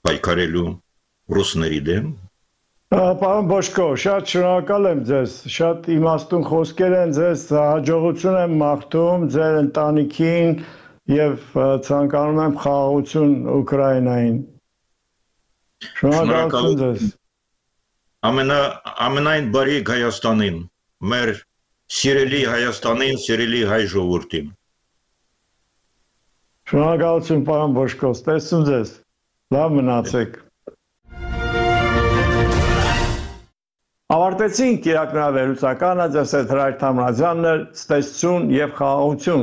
պայքարելու ռուսների դեմ։ Պարոն Բոշկո, շատ շնորհակալ եմ ձեզ, շատ իմաստուն խոսքեր են ձեզ, հաջողություն եմ մաղթում ձեր ընտանիքին եւ ցանկանում եմ խաղաղություն Ուկրաինային։ Շնորհակալություն ձեզ։ Ամենայն բարիք Հայաստանին, մեր սիրելի Հայաստանին, սիրելի հայ ժողովրդին։ Շնորհակալություն պարոն Բոշկո, տեսնում ձեզ։ Լավ մնացեք։ Ավարտեցինք իրակնավերուցականը, ձեզ հետ Հրայր Թամրազյանն էր, ցտեսություն եւ խաղաղություն։